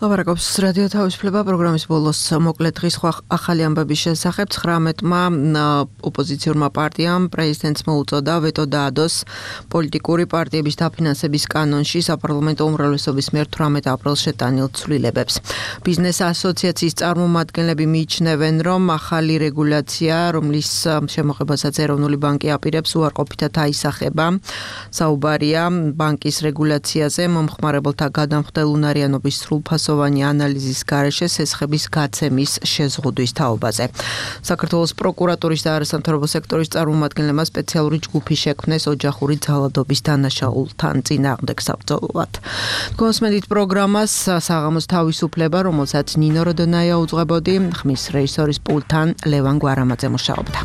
ლაპარაკობს რადიო თავისუფლება პროგრამის ბოლოს მოკლე დღის ახალი ამბების შესახებ 19-მა ოპოზიციურმა პარტიამ პრეზიდენტს მოუწოდა ვეტო დაადოს პოლიტიკური პარტიების დაფინანსების კანონში საპარლამენტო უმრავლესობის მიერ 18 აპრილს შეტანილ ცვლილებებს. ბიზნეს ასოციაციის წარმომადგენლები მიიჩნევენ, რომ ახალი რეგულაცია, რომლის შემოღებასაც ეროვნული ბანკი აპირებს, უარყოფითად აისახება. საუბარია ბანკის რეგულაციაზე მომხმარებელთა გადამხდელ უნარიანობის სრულფასოვანი ანალიზის გარეშე სესხების გაცემის შეზღუდვის თაობაზე. საქართველოს პროკურატურის და არასამთავრობო სექტორის წარმომადგენლებმა სპეციალური ჯგუფი შექმნეს ოჯახური ძალადობის დანაშაულთან წინააღმდეგ საბრძოლოდ. გოსმედით პროგრამას საღამოს თავისუფლება, რომელსაც ნინო როდონაია უძღვებოდი, ხმის რეჟისორის პულტთან ლევან გვარამაძე მუშაობდა.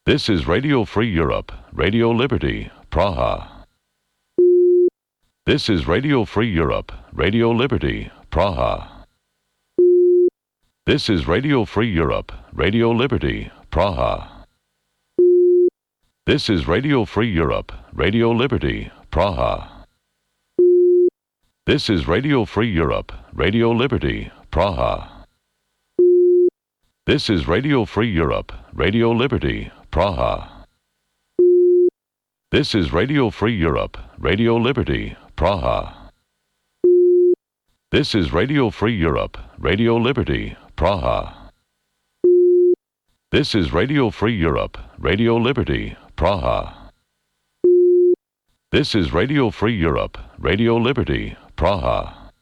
This is Radio Free Europe, Radio Liberty, Praha. This is Radio Free Europe, Radio Liberty, Praha. This is Radio Free Europe, Radio Liberty, Praha. This is Radio Free Europe, Radio Liberty, Praha. This is Radio Free Europe, Radio Liberty, Praha. This is Radio Free Europe, Radio Liberty, Praha. This is Radio Free Europe, Radio Liberty, Praha. This is Radio Free Europe, Radio Liberty, Praha. This is Radio Free Europe, Radio Liberty, Praha. This is Radio Free Europe, Radio Liberty, Praha.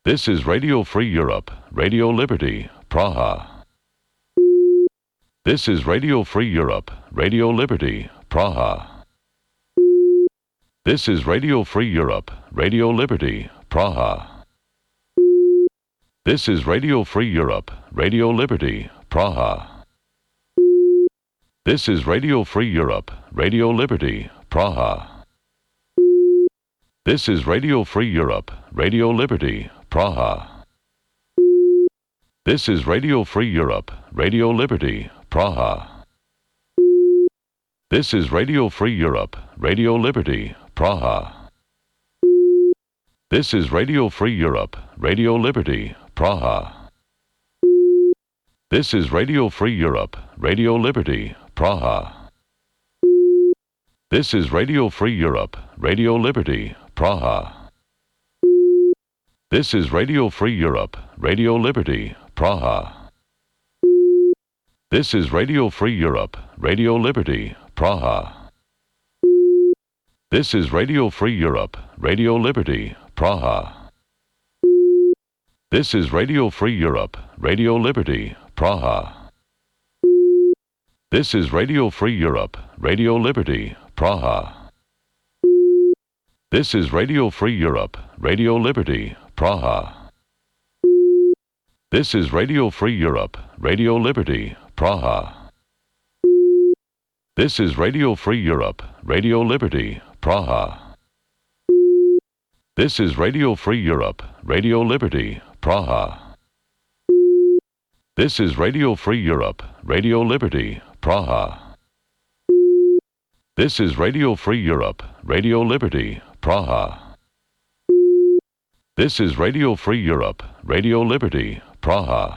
This is Radio Free Europe, Radio Liberty, Praha. This is Radio Free Europe, Radio Liberty, Praha. This is Radio Free Europe, Radio Liberty, Praha. This is Radio Free Europe, Radio Liberty, Praha. This is Radio Free Europe, Radio Liberty, Praha. This is Radio Free Europe, Radio Liberty, Praha. This is Radio Free Europe, Radio Liberty, Praha. This is Radio Free Europe, Radio Liberty, Praha. This is Radio Free Europe, Radio Liberty, Praha. This is Radio Free Europe, Radio Liberty, Praha. This is Radio Free Europe, Radio Liberty, Praha. This is Radio Free Europe, Radio Liberty, Praha. This is Radio Free Europe, Radio Liberty, Praha. This is Radio Free Europe, Radio Liberty, Praha. This is Radio Free Europe, Radio Liberty, Praha. This is Radio Free Europe, Radio Liberty, Praha. This is Radio Free Europe, Radio Liberty, Praha. This is Radio Free Europe, Radio Liberty, Praha. This is Radio Free Europe, Radio Liberty, Praha. This is Radio Free Europe, Radio Liberty, Praha. This is Radio Free Europe, Radio Liberty, Praha.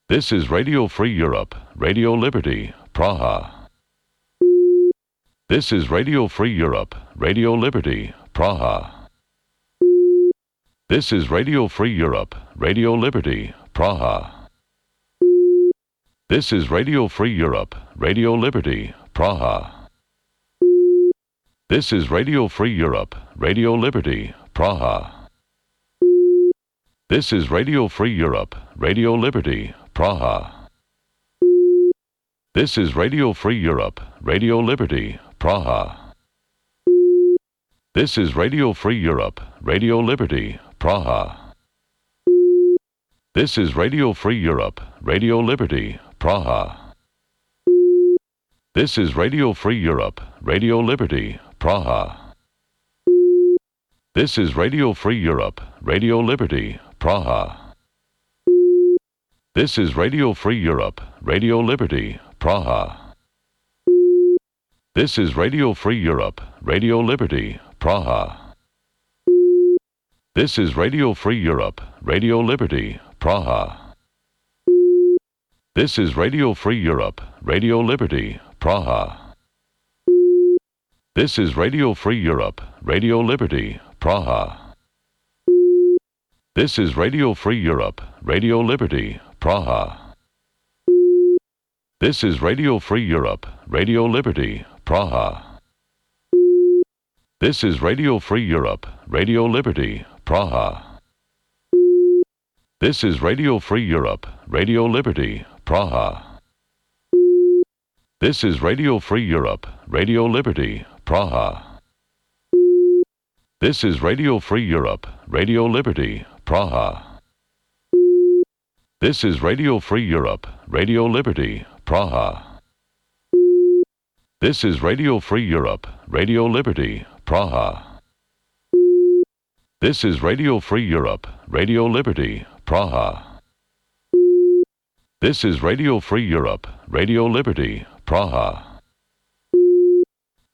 This is Radio Free Europe, Radio Liberty, Praha. This is Radio Free Europe, Radio Liberty, Praha. This is Radio Free Europe, Radio Liberty, Praha. This is Radio Free Europe, Radio Liberty, Praha. This is Radio Free Europe, Radio Liberty, Praha. This is Radio Free Europe, Radio Liberty, Praha. This is Radio Free Europe, Radio Liberty, Praha. This is Radio Free Europe, Radio Liberty, Praha. This is Radio Free Europe, Radio Liberty, Praha. This is Radio Free Europe, Radio Liberty, Praha. This is Radio Free Europe, Radio Liberty, Praha. This is Radio Free Europe, Radio Liberty, Praha. This is Radio Free Europe, Radio Liberty, Praha. This is Radio Free Europe, Radio Liberty, Praha. This is Radio Free Europe, Radio Liberty, Praha. This is Radio Free Europe, Radio Liberty, Praha. This is Radio Free Europe, Radio Liberty, Praha. This is Radio Free Europe, Radio Liberty, Praha. This is Radio Free Europe, Radio Liberty, Praha. This is Radio Free Europe, Radio Liberty, Praha. This is Radio Free Europe, Radio Liberty, Praha. This is Radio Free Europe, Radio Liberty, Praha. This is Radio Free Europe, Radio Liberty, Praha. This is Radio Free Europe, Radio Liberty, Praha. This is Radio Free Europe, Radio Liberty, Praha. This is Radio Free Europe, Radio Liberty, Praha. This is Radio Free Europe, Radio Liberty, Praha. This is Radio Free Europe, Radio Liberty, Praha.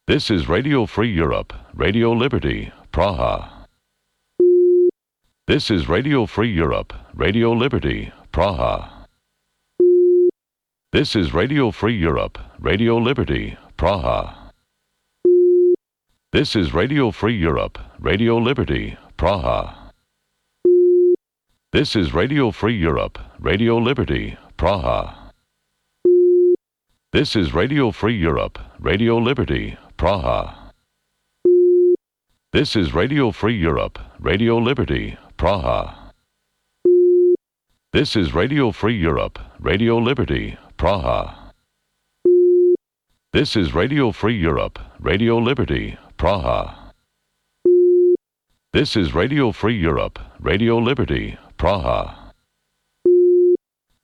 This is Radio Free Europe, Radio Liberty, Praha. This is Radio Free Europe, Radio Liberty, Praha. This is Radio Free Europe, Radio Liberty, Praha. This is Radio Free Europe, Radio Liberty, Praha. This is Radio Free Europe, Radio Liberty, Praha. This is Radio Free Europe, Radio Liberty, Praha. This is Radio Free Europe, Radio Liberty, Praha. This is Radio Free Europe, Radio Liberty, Praha. This is Radio Free Europe, Radio Liberty, Praha. This is Radio Free Europe, Radio Liberty, Praha.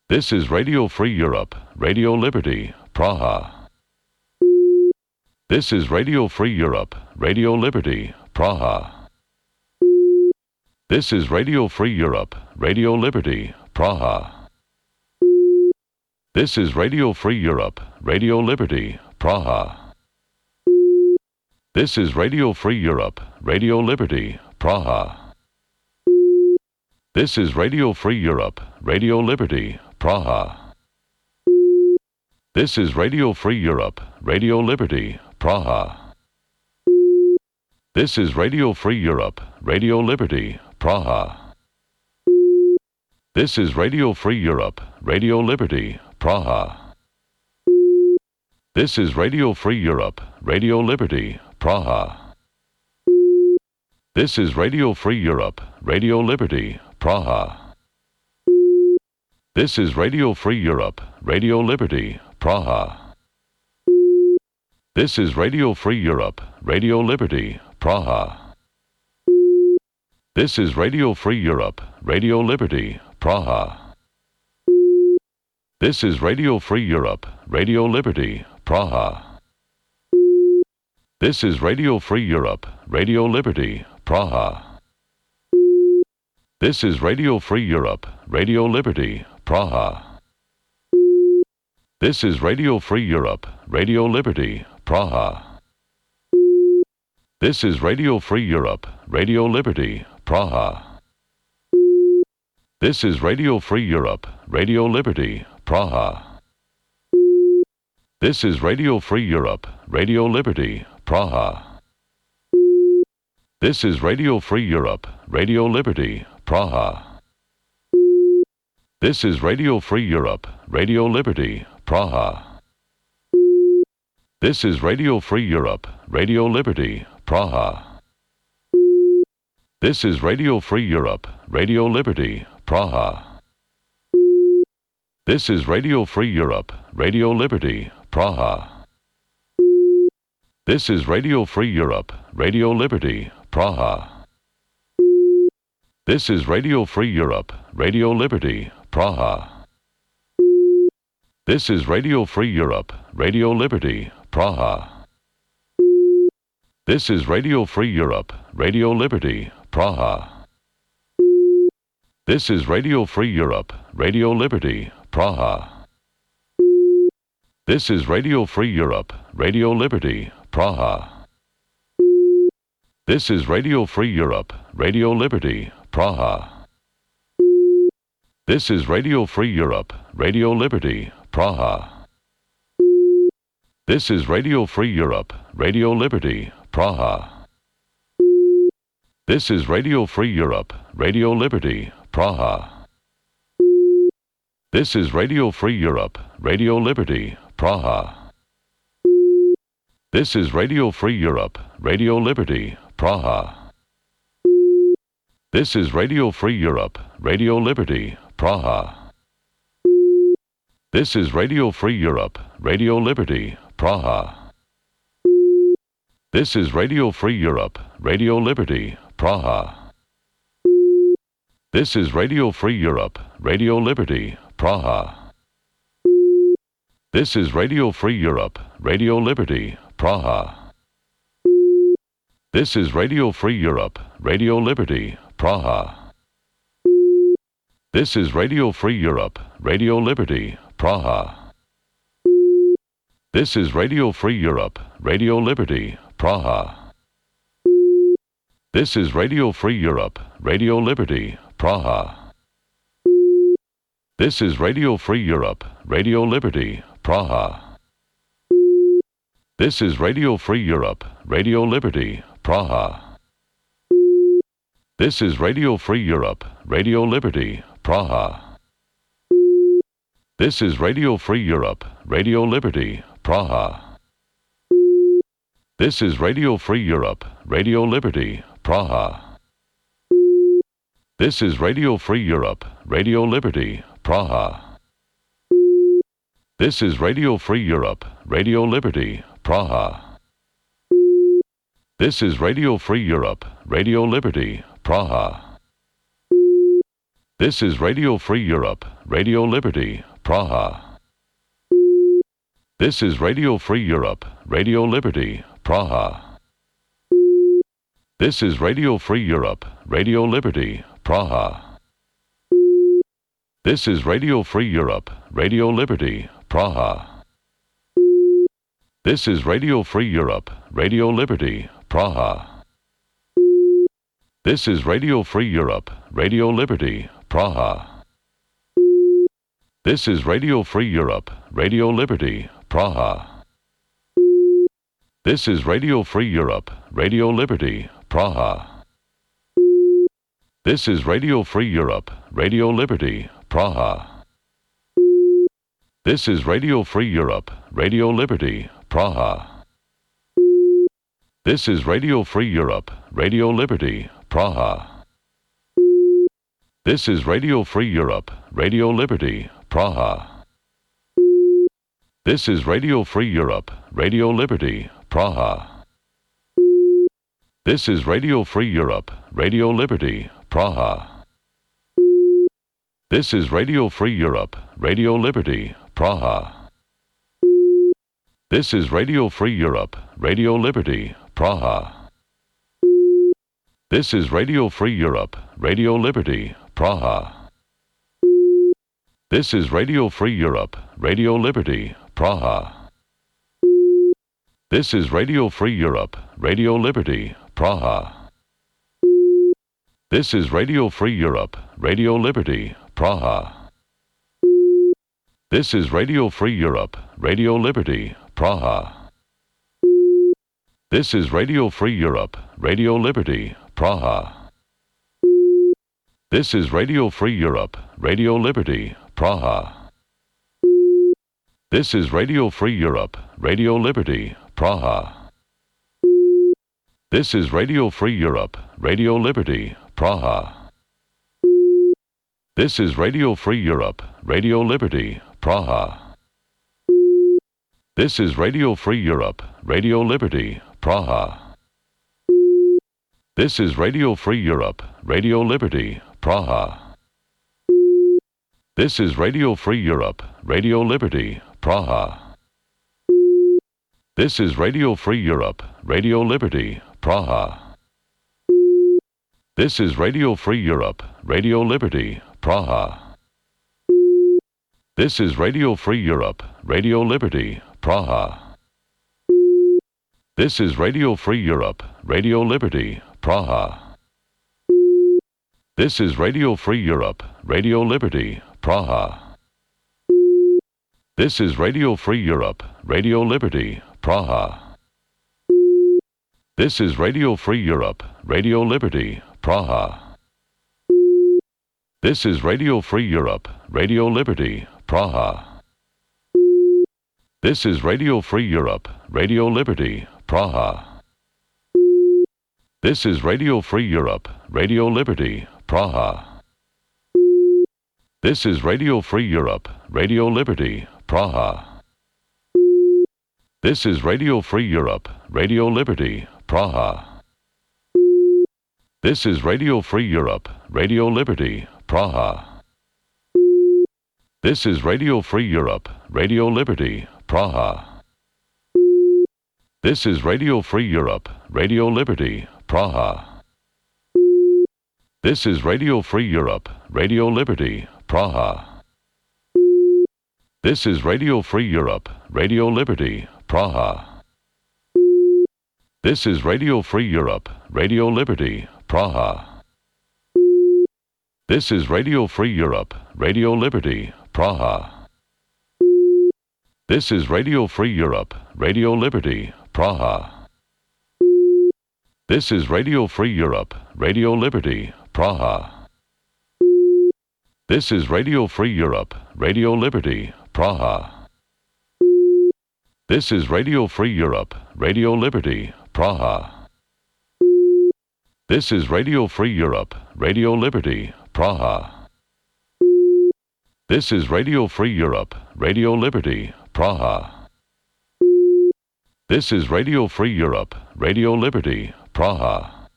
This is Radio Free Europe, Radio Liberty, Praha. This is Radio Free Europe, Radio Liberty, Praha. This is Radio Free Europe, Radio Liberty, Praha. This is Radio Free Europe, Radio Liberty, Praha. This is Radio Free Europe, Radio Liberty, Praha. This is Radio Free Europe, Radio Liberty, Praha. This is Radio Free Europe, Radio Liberty, Praha. This is Radio Free Europe, Radio Liberty, Praha. This is Radio Free Europe, Radio Liberty, Praha. This is Radio Free Europe, Radio Liberty, Praha. This is Radio Free Europe, Radio Liberty, Praha. This is Radio Free Europe, Radio Liberty, Praha. This is Radio Free Europe, Radio Liberty, Praha. This is Radio Free Europe, Radio Liberty, Praha. This is Radio Free Europe, Radio Liberty, Praha. This is Radio Free Europe, Radio Liberty, Praha. This is Radio Free Europe, Radio Liberty, Praha. This is Radio Free Europe, Radio Liberty, Praha. This is Radio Free Europe, Radio Liberty, Praha. This is Radio Free Europe, Radio Liberty, Praha. This is Radio Free Europe, Radio Liberty, Praha. This is Radio Free Europe, Radio Liberty, Praha. This is Radio Free Europe, Radio Liberty, Praha. This is Radio Free Europe, Radio Liberty, Praha. This is Radio Free Europe, Radio Liberty, Praha. This is Radio Free Europe, Radio Liberty, Praha. This is Radio Free Europe, Radio Liberty, Praha. This is Radio Free Europe, Radio Liberty, Praha. This is Radio Free Europe, Radio Liberty, Praha. This is Radio Free Europe, Radio Liberty, Praha. This is Radio Free Europe, Radio Liberty, Praha. This is Radio Free Europe, Radio Liberty, Praha. This is Radio Free Europe, Radio Liberty, Praha. This is Radio Free Europe, Radio Liberty, Praha. This is Radio Free Europe, Radio Liberty, Praha. This is Radio Free Europe, Radio Liberty, Praha. This is Radio Free Europe, Radio Liberty, Praha. This is Radio Free Europe, Radio Liberty, Praha. This is Radio Free Europe, Radio Liberty, Praha. This is Radio Free Europe, Radio Liberty, Praha. This is Radio Free Europe, Radio Liberty, Praha. This is Radio Free Europe, Radio Liberty, Praha. This is Radio Free Europe, Radio Liberty, Praha. This is Radio Free Europe, Radio Liberty, Praha. This is Radio Free Europe, Radio Liberty, Praha. This is Radio Free Europe, Radio Liberty, Praha. This is Radio Free Europe, Radio Liberty, Praha. This is Radio Free Europe, Radio Liberty, Praha. This is Radio Free Europe, Radio Liberty, Praha. This is Radio Free Europe, Radio Liberty, Praha. This is Radio Free Europe, Radio Liberty, Praha. This is Radio Free Europe, Radio Liberty, Praha. This is Radio Free Europe, Radio Liberty, Praha. This is Radio Free Europe, Radio Liberty, Praha. This is Radio Free Europe, Radio Liberty, Praha. This is Radio Free Europe, Radio Liberty, Praha. This is Radio Free Europe, Radio Liberty, Praha. This is Radio Free Europe, Radio Liberty, Praha. This is Radio Free Europe, Radio Liberty, Praha. This is Radio Free Europe, Radio Liberty, Praha. This is Radio Free Europe, Radio Liberty, Praha. This is Radio Free Europe, Radio Liberty, Praha. This is Radio Free Europe, Radio Liberty, Praha. This is Radio Free Europe, Radio Liberty, Praha. This is Radio Free Europe, Radio Liberty, Praha. This is Radio Free Europe, Radio Liberty, Praha. This is Radio Free Europe, Radio Liberty, Praha. This is Radio Free Europe, Radio Liberty, Praha. This is Radio Free Europe, Radio Liberty, Praha. This is Radio Free Europe, Radio Liberty, Praha. This is Radio Free Europe, Radio Liberty, Praha. This is Radio Free Europe, Radio Liberty, Praha. This is Radio Free Europe, Radio Liberty, Praha. This is Radio Free Europe, Radio Liberty, Praha. This is Radio Free Europe, Radio Liberty, Praha. This is Radio Free Europe, Radio Liberty, Praha. This is Radio Free Europe, Radio Liberty, Praha. This is Radio Free Europe, Radio Liberty, Praha. This is Radio Free Europe, Radio Liberty, Praha. This is Radio Free Europe, Radio Liberty, Praha. This is Radio Free Europe, Radio Liberty, Praha. This is Radio Free Europe, Radio Liberty, Praha. This is Radio Free Europe, Radio Liberty, Praha. This is Radio Free Europe, Radio Liberty, Praha. This is Radio Free Europe, Radio Liberty, Praha. This is Radio Free Europe, Radio Liberty, Praha. This is Radio Free Europe, Radio Liberty, Praha. This is Radio Free Europe, Radio Liberty, Praha. This is Radio Free Europe, Radio Liberty, Praha. This is Radio Free Europe, Radio Liberty, Praha. This is Radio Free Europe, Radio Liberty, Praha. This is Radio Free Europe, Radio Liberty, Praha. This is Radio Free Europe, Radio Liberty, Praha. This is Radio Free Europe, Radio Liberty, Praha. This is Radio Free Europe, Radio Liberty, Praha. This is Radio Free Europe, Radio Liberty, Praha. This is Radio Free Europe, Radio Liberty, Praha. This is Radio Free Europe, Radio Liberty, Praha. This is Radio Free Europe, Radio Liberty, Praha. This is Radio Free Europe, Radio Liberty, Praha. This is Radio Free Europe, Radio Liberty, Praha. This is Radio Free Europe, Radio Liberty, Praha. This is Radio Free Europe, Radio Liberty, Praha. This is Radio Free Europe, Radio Liberty, Praha. This is Radio Free Europe, Radio Liberty, Praha. This is Radio Free Europe, Radio Liberty, Praha. This is Radio Free Europe, Radio Liberty, Praha. This is Radio Free Europe, Radio Liberty, Praha. This is Radio Free Europe, Radio Liberty, Praha. This is Radio Free Europe, Radio Liberty, Praha.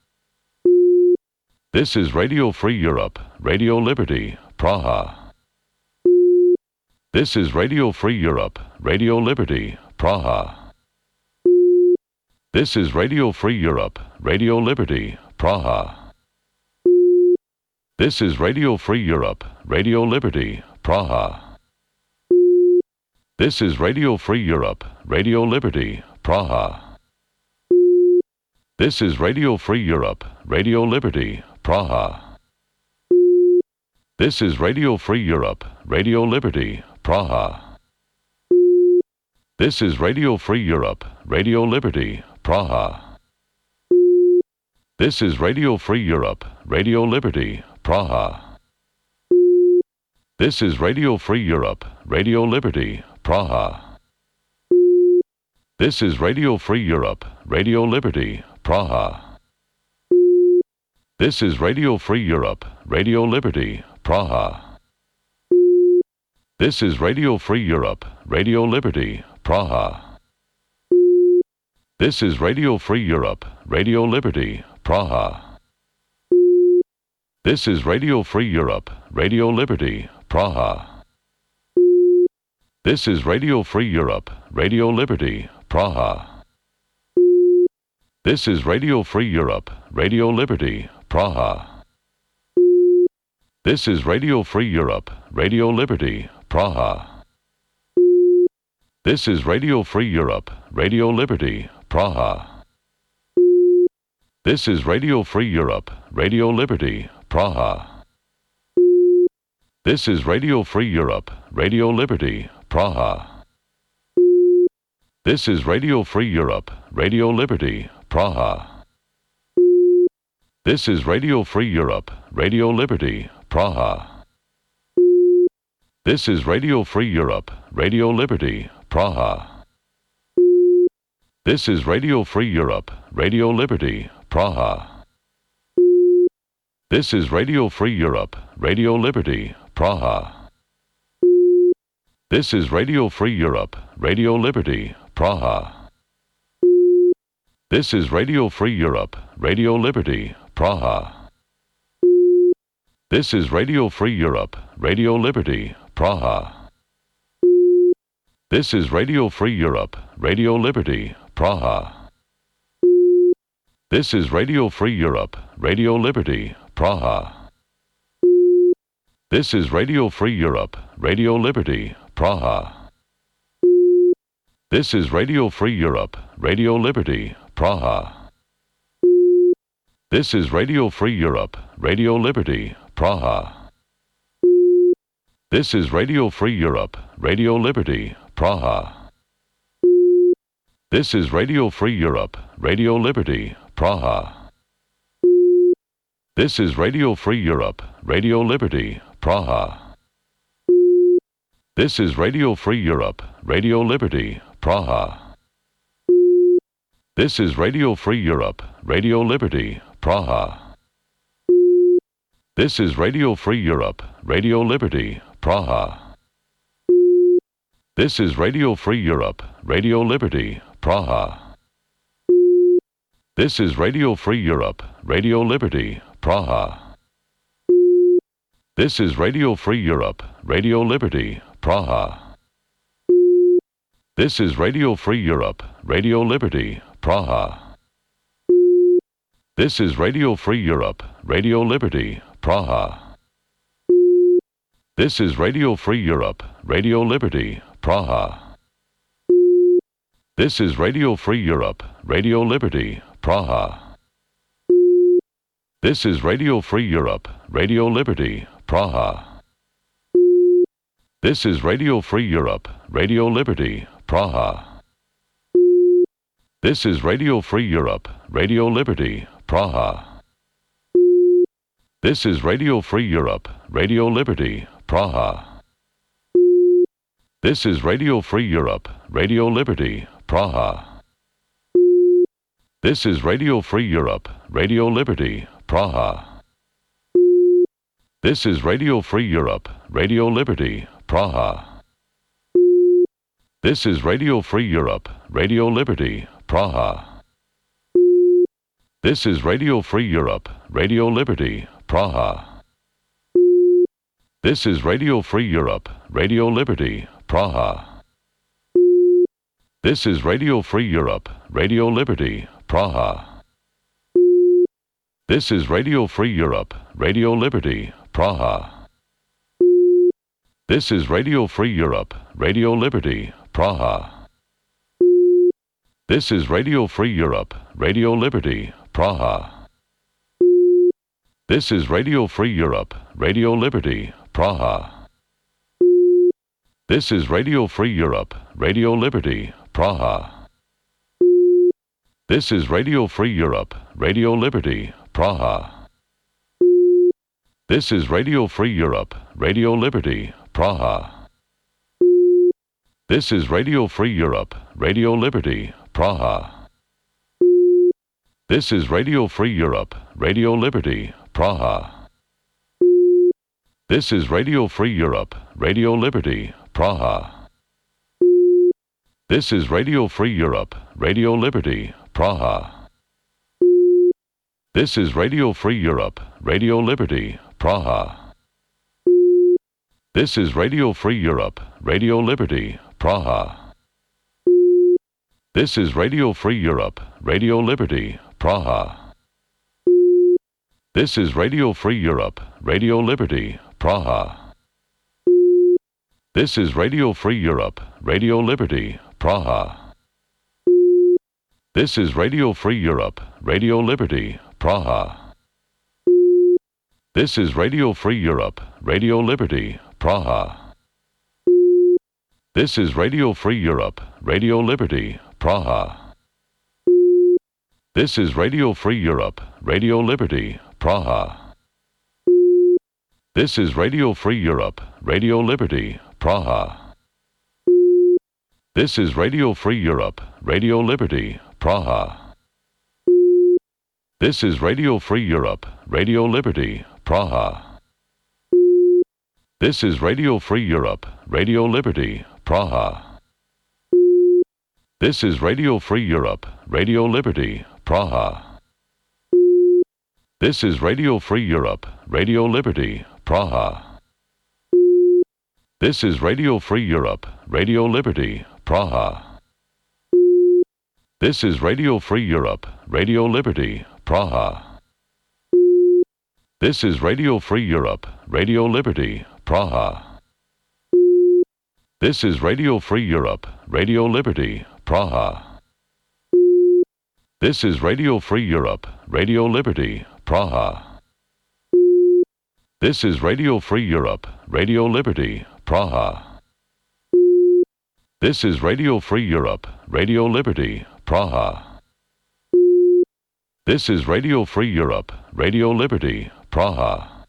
This is Radio Free Europe, Radio Liberty, Praha. This is Radio Free Europe, Radio Liberty, Praha. This is Radio Free Europe, Radio Liberty, Praha. This is Radio Free Europe, Radio Liberty, Praha. This is Radio Free Europe, Radio Liberty, Praha. This is Radio Free Europe, Radio Liberty, Praha. This is Radio Free Europe, Radio Liberty, Praha. This is Radio Free Europe, Radio Liberty, Praha. This is Radio Free Europe, Radio Liberty, Praha. This is Radio Free Europe, Radio Liberty, Praha. This is Radio Free Europe, Radio Liberty, Praha. This is Radio Free Europe, Radio Liberty, Praha. This is Radio Free Europe, Radio Liberty, Praha. This is Radio Free Europe, Radio Liberty, Praha. This is Radio Free Europe, Radio Liberty, Praha. This is Radio Free Europe, Radio Liberty, Praha. This is Radio Free Europe, Radio Liberty, Praha. This is Radio Free Europe, Radio Liberty, Praha. This is Radio Free Europe, Radio Liberty, Praha. This is Radio Free Europe, Radio Liberty, Praha. This is Radio Free Europe, Radio Liberty, Praha. This is Radio Free Europe, Radio Liberty, Praha. This is Radio Free Europe, Radio Liberty, Praha. This is Radio Free Europe, Radio Liberty, Praha. This is Radio Free Europe, Radio Liberty, Praha. This is Radio Free Europe, Radio Liberty, Praha. This is Radio Free Europe, Radio Liberty, Praha. This is Radio Free Europe, Radio Liberty, Praha. This is Radio Free Europe, Radio Liberty, Praha. This is Radio Free Europe, Radio Liberty, Praha. This is Radio Free Europe, Radio Liberty, Praha. This is Radio Free Europe, Radio Liberty, Praha. This is Radio Free Europe, Radio Liberty, Praha. This is Radio Free Europe, Radio Liberty, Praha. This is Radio Free Europe, Radio Liberty, Praha. This is Radio Free Europe, Radio Liberty, Praha. This is Radio Free Europe, Radio Liberty, Praha. This is Radio Free Europe, Radio Liberty, Praha. This is Radio Free Europe, Radio Liberty, Praha. This is Radio Free Europe, Radio Liberty, Praha. This is Radio Free Europe, Radio Liberty, Praha. This is Radio Free Europe, Radio Liberty, Praha. This is Radio Free Europe, Radio Liberty, Praha. This is Radio Free Europe, Radio Liberty, Praha. This is Radio Free Europe, Radio Liberty, Praha. This is Radio Free Europe, Radio Liberty, Praha. This is Radio Free Europe, Radio Liberty, Praha. This is Radio Free Europe, Radio Liberty, Praha. This is Radio Free Europe, Radio Liberty, Praha. This is Radio Free Europe, Radio Liberty, Praha. This is Radio Free Europe, Radio Liberty, Praha. This is Radio Free Europe, Radio Liberty, Praha. This is Radio Free Europe, Radio Liberty, Praha. This is Radio Free Europe, Radio Liberty, Praha. This is Radio Free Europe, Radio Liberty, Praha. This is Radio Free Europe, Radio Liberty, Praha. This is Radio Free Europe, Radio Liberty, Praha. This is Radio Free Europe, Radio Liberty, Praha. This is Radio Free Europe, Radio Liberty, Praha. This is Radio Free Europe, Radio Liberty, Praha. This is Radio Free Europe, Radio Liberty, Praha. This is Radio Free Europe, Radio Liberty, Praha. This is Radio Free Europe, Radio Liberty, Praha. This is Radio Free Europe, Radio Liberty, Praha. This is Radio Free Europe, Radio Liberty, Praha. This is Radio Free Europe, Radio Liberty, Praha. This is Radio Free Europe, Radio Liberty, Praha. This is Radio Free Europe, Radio Liberty, Praha. This is Radio Free Europe, Radio Liberty, Praha. This is Radio Free Europe, Radio Liberty, Praha. This is Radio Free Europe, Radio Liberty, Praha. This is Radio Free Europe, Radio Liberty, Praha. This is Radio Free Europe, Radio Liberty, Praha. This is Radio Free Europe, Radio Liberty, Praha. This is Radio Free Europe, Radio Liberty, Praha. This is Radio Free Europe, Radio Liberty, Praha. This is Radio Free Europe, Radio Liberty, Praha. This is Radio Free Europe, Radio Liberty, Praha. This is Radio Free Europe, Radio Liberty, Praha. This is Radio Free Europe, Radio Liberty, Praha. This is Radio Free Europe, Radio Liberty, Praha. This is Radio Free Europe, Radio Liberty, Praha. This is Radio Free Europe, Radio Liberty, Praha. This is Radio Free Europe, Radio Liberty, Praha. This is Radio Free Europe, Radio Liberty, Praha. This is Radio Free Europe, Radio Liberty, Praha. This is Radio Free Europe, Radio Liberty, Praha. This is Radio Free Europe, Radio Liberty, Praha. This is Radio Free Europe, Radio Liberty, Praha. This is Radio Free Europe, Radio Liberty, Praha. This is Radio Free Europe, Radio Liberty, Praha. This is Radio Free Europe, Radio Liberty, Praha.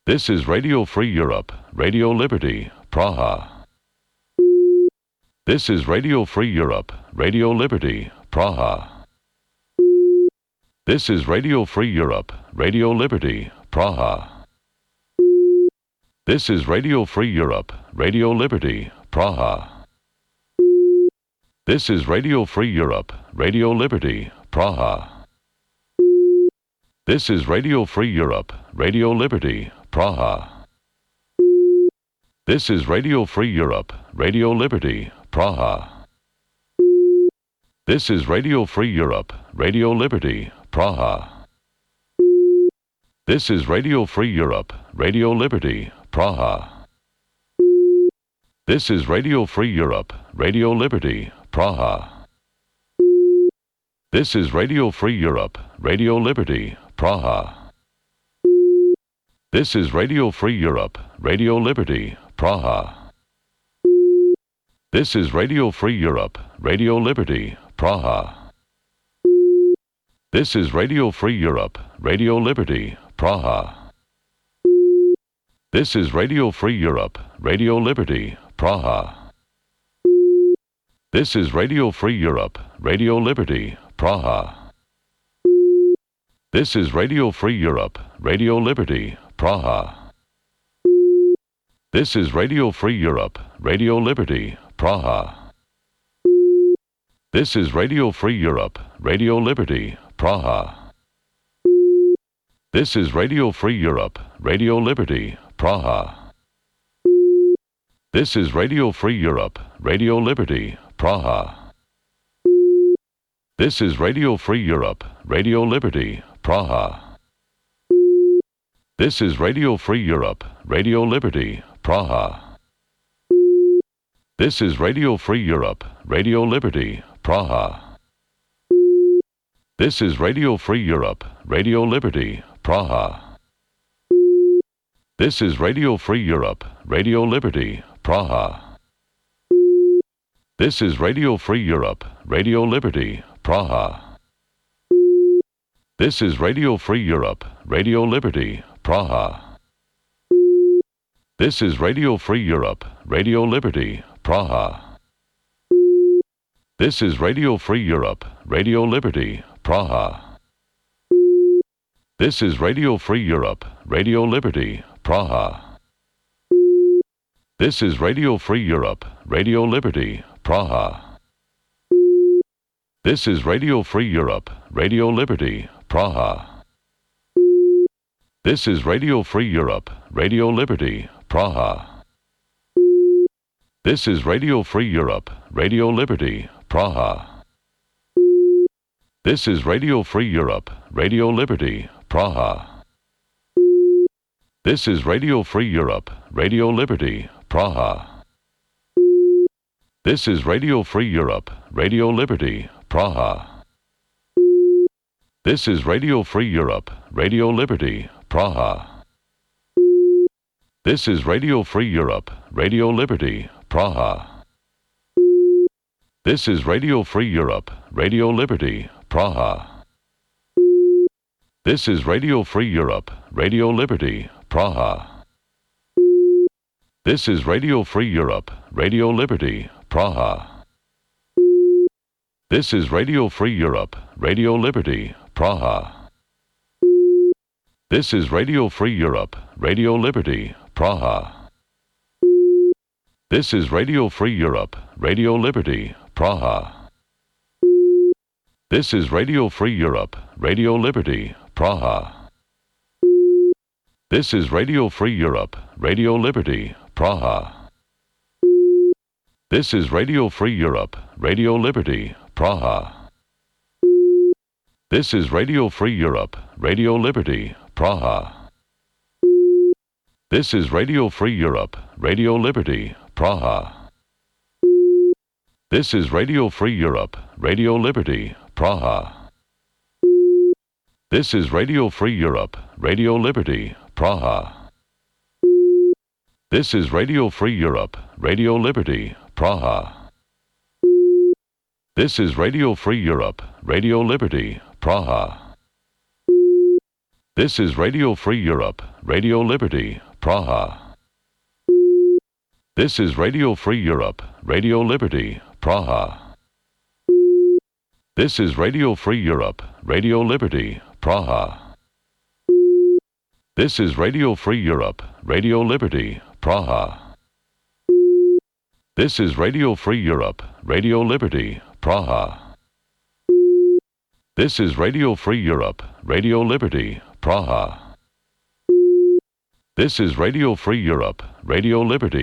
This is Radio Free Europe, Radio Liberty, Praha. This is Radio Free Europe, Radio Liberty, Praha. This is Radio Free Europe, Radio Liberty, Praha. This is Radio Free Europe, Radio Liberty, Praha. This is Radio Free Europe, Radio Liberty, Praha. This is Radio Free Europe, Radio Liberty, Praha. This is Radio Free Europe, Radio Liberty, Praha. This is Radio Free Europe, Radio Liberty, Praha. This is Radio Free Europe, Radio Liberty, Praha. This is Radio Free Europe, Radio Liberty, Praha. This is Radio Free Europe, Radio Liberty, Praha. This is Radio Free Europe, Radio Liberty, Praha. This is Radio Free Europe, Radio Liberty, Praha. This is Radio Free Europe, Radio Liberty, Praha. This is Radio Free Europe, Radio Liberty, Praha. This is Radio Free Europe, Radio Liberty, Praha. This is Radio Free Europe, Radio Liberty, Praha. This is Radio Free Europe, Radio Liberty, Praha. This is Radio Free Europe, Radio Liberty, Praha. This is Radio Free Europe, Radio Liberty, Praha. This is Radio Free Europe, Radio Liberty, Praha. This is Radio Free Europe, Radio Liberty, Praha. This is Radio Free Europe, Radio Liberty, Praha. This is Radio Free Europe, Radio Liberty, Praha. This is Radio Free Europe, Radio Liberty, Praha. This is Radio Free Europe, Radio Liberty, Praha. This is Radio Free Europe, Radio Liberty, Praha. This is Radio Free Europe, Radio Liberty, Praha. This is Radio Free Europe, Radio Liberty, Praha. This is Radio Free Europe, Radio Liberty, Praha. This is Radio Free Europe, Radio Liberty, Praha. This is Radio Free Europe, Radio Liberty, Praha. This is Radio Free Europe, Radio Liberty, Praha. This is Radio Free Europe, Radio Liberty, Praha. This is Radio Free Europe, Radio Liberty, Praha. This is Radio Free Europe, Radio Liberty, Praha. This is Radio Free Europe, Radio Liberty, Praha. This is Radio Free Europe, Radio Liberty, Praha. This is Radio Free Europe, Radio Liberty, Praha. This is Radio Free Europe, Radio Liberty, Praha. This is Radio Free Europe, Radio Liberty, Praha. This is Radio Free Europe, Radio Liberty, Praha. This is Radio Free Europe, Radio Liberty, Praha. This is Radio Free Europe, Radio Liberty, Praha. This is Radio Free Europe, Radio Liberty, Praha. This is Radio Free Europe, Radio Liberty, Praha. This is Radio Free Europe, Radio Liberty, Praha. This is Radio Free Europe, Radio Liberty, Praha. This is Radio Free Europe, Radio Liberty, Praha. This is Radio Free Europe, Radio Liberty, Praha. This is Radio Free Europe, Radio Liberty, Praha. This is Radio Free Europe, Radio Liberty, Praha. This is Radio Free Europe, Radio Liberty, Praha. This is Radio Free Europe, Radio Liberty, Praha. This is Radio Free Europe, Radio Liberty, Praha. This is Radio Free Europe, Radio Liberty, Praha. This is Radio Free Europe, Radio Liberty, Praha. This is Radio Free Europe, Radio Liberty, Praha. This is Radio Free Europe, Radio Liberty, Praha. This is Radio Free Europe, Radio Liberty, Praha. This is Radio Free Europe, Radio Liberty, Praha. This is Radio Free Europe, Radio Liberty.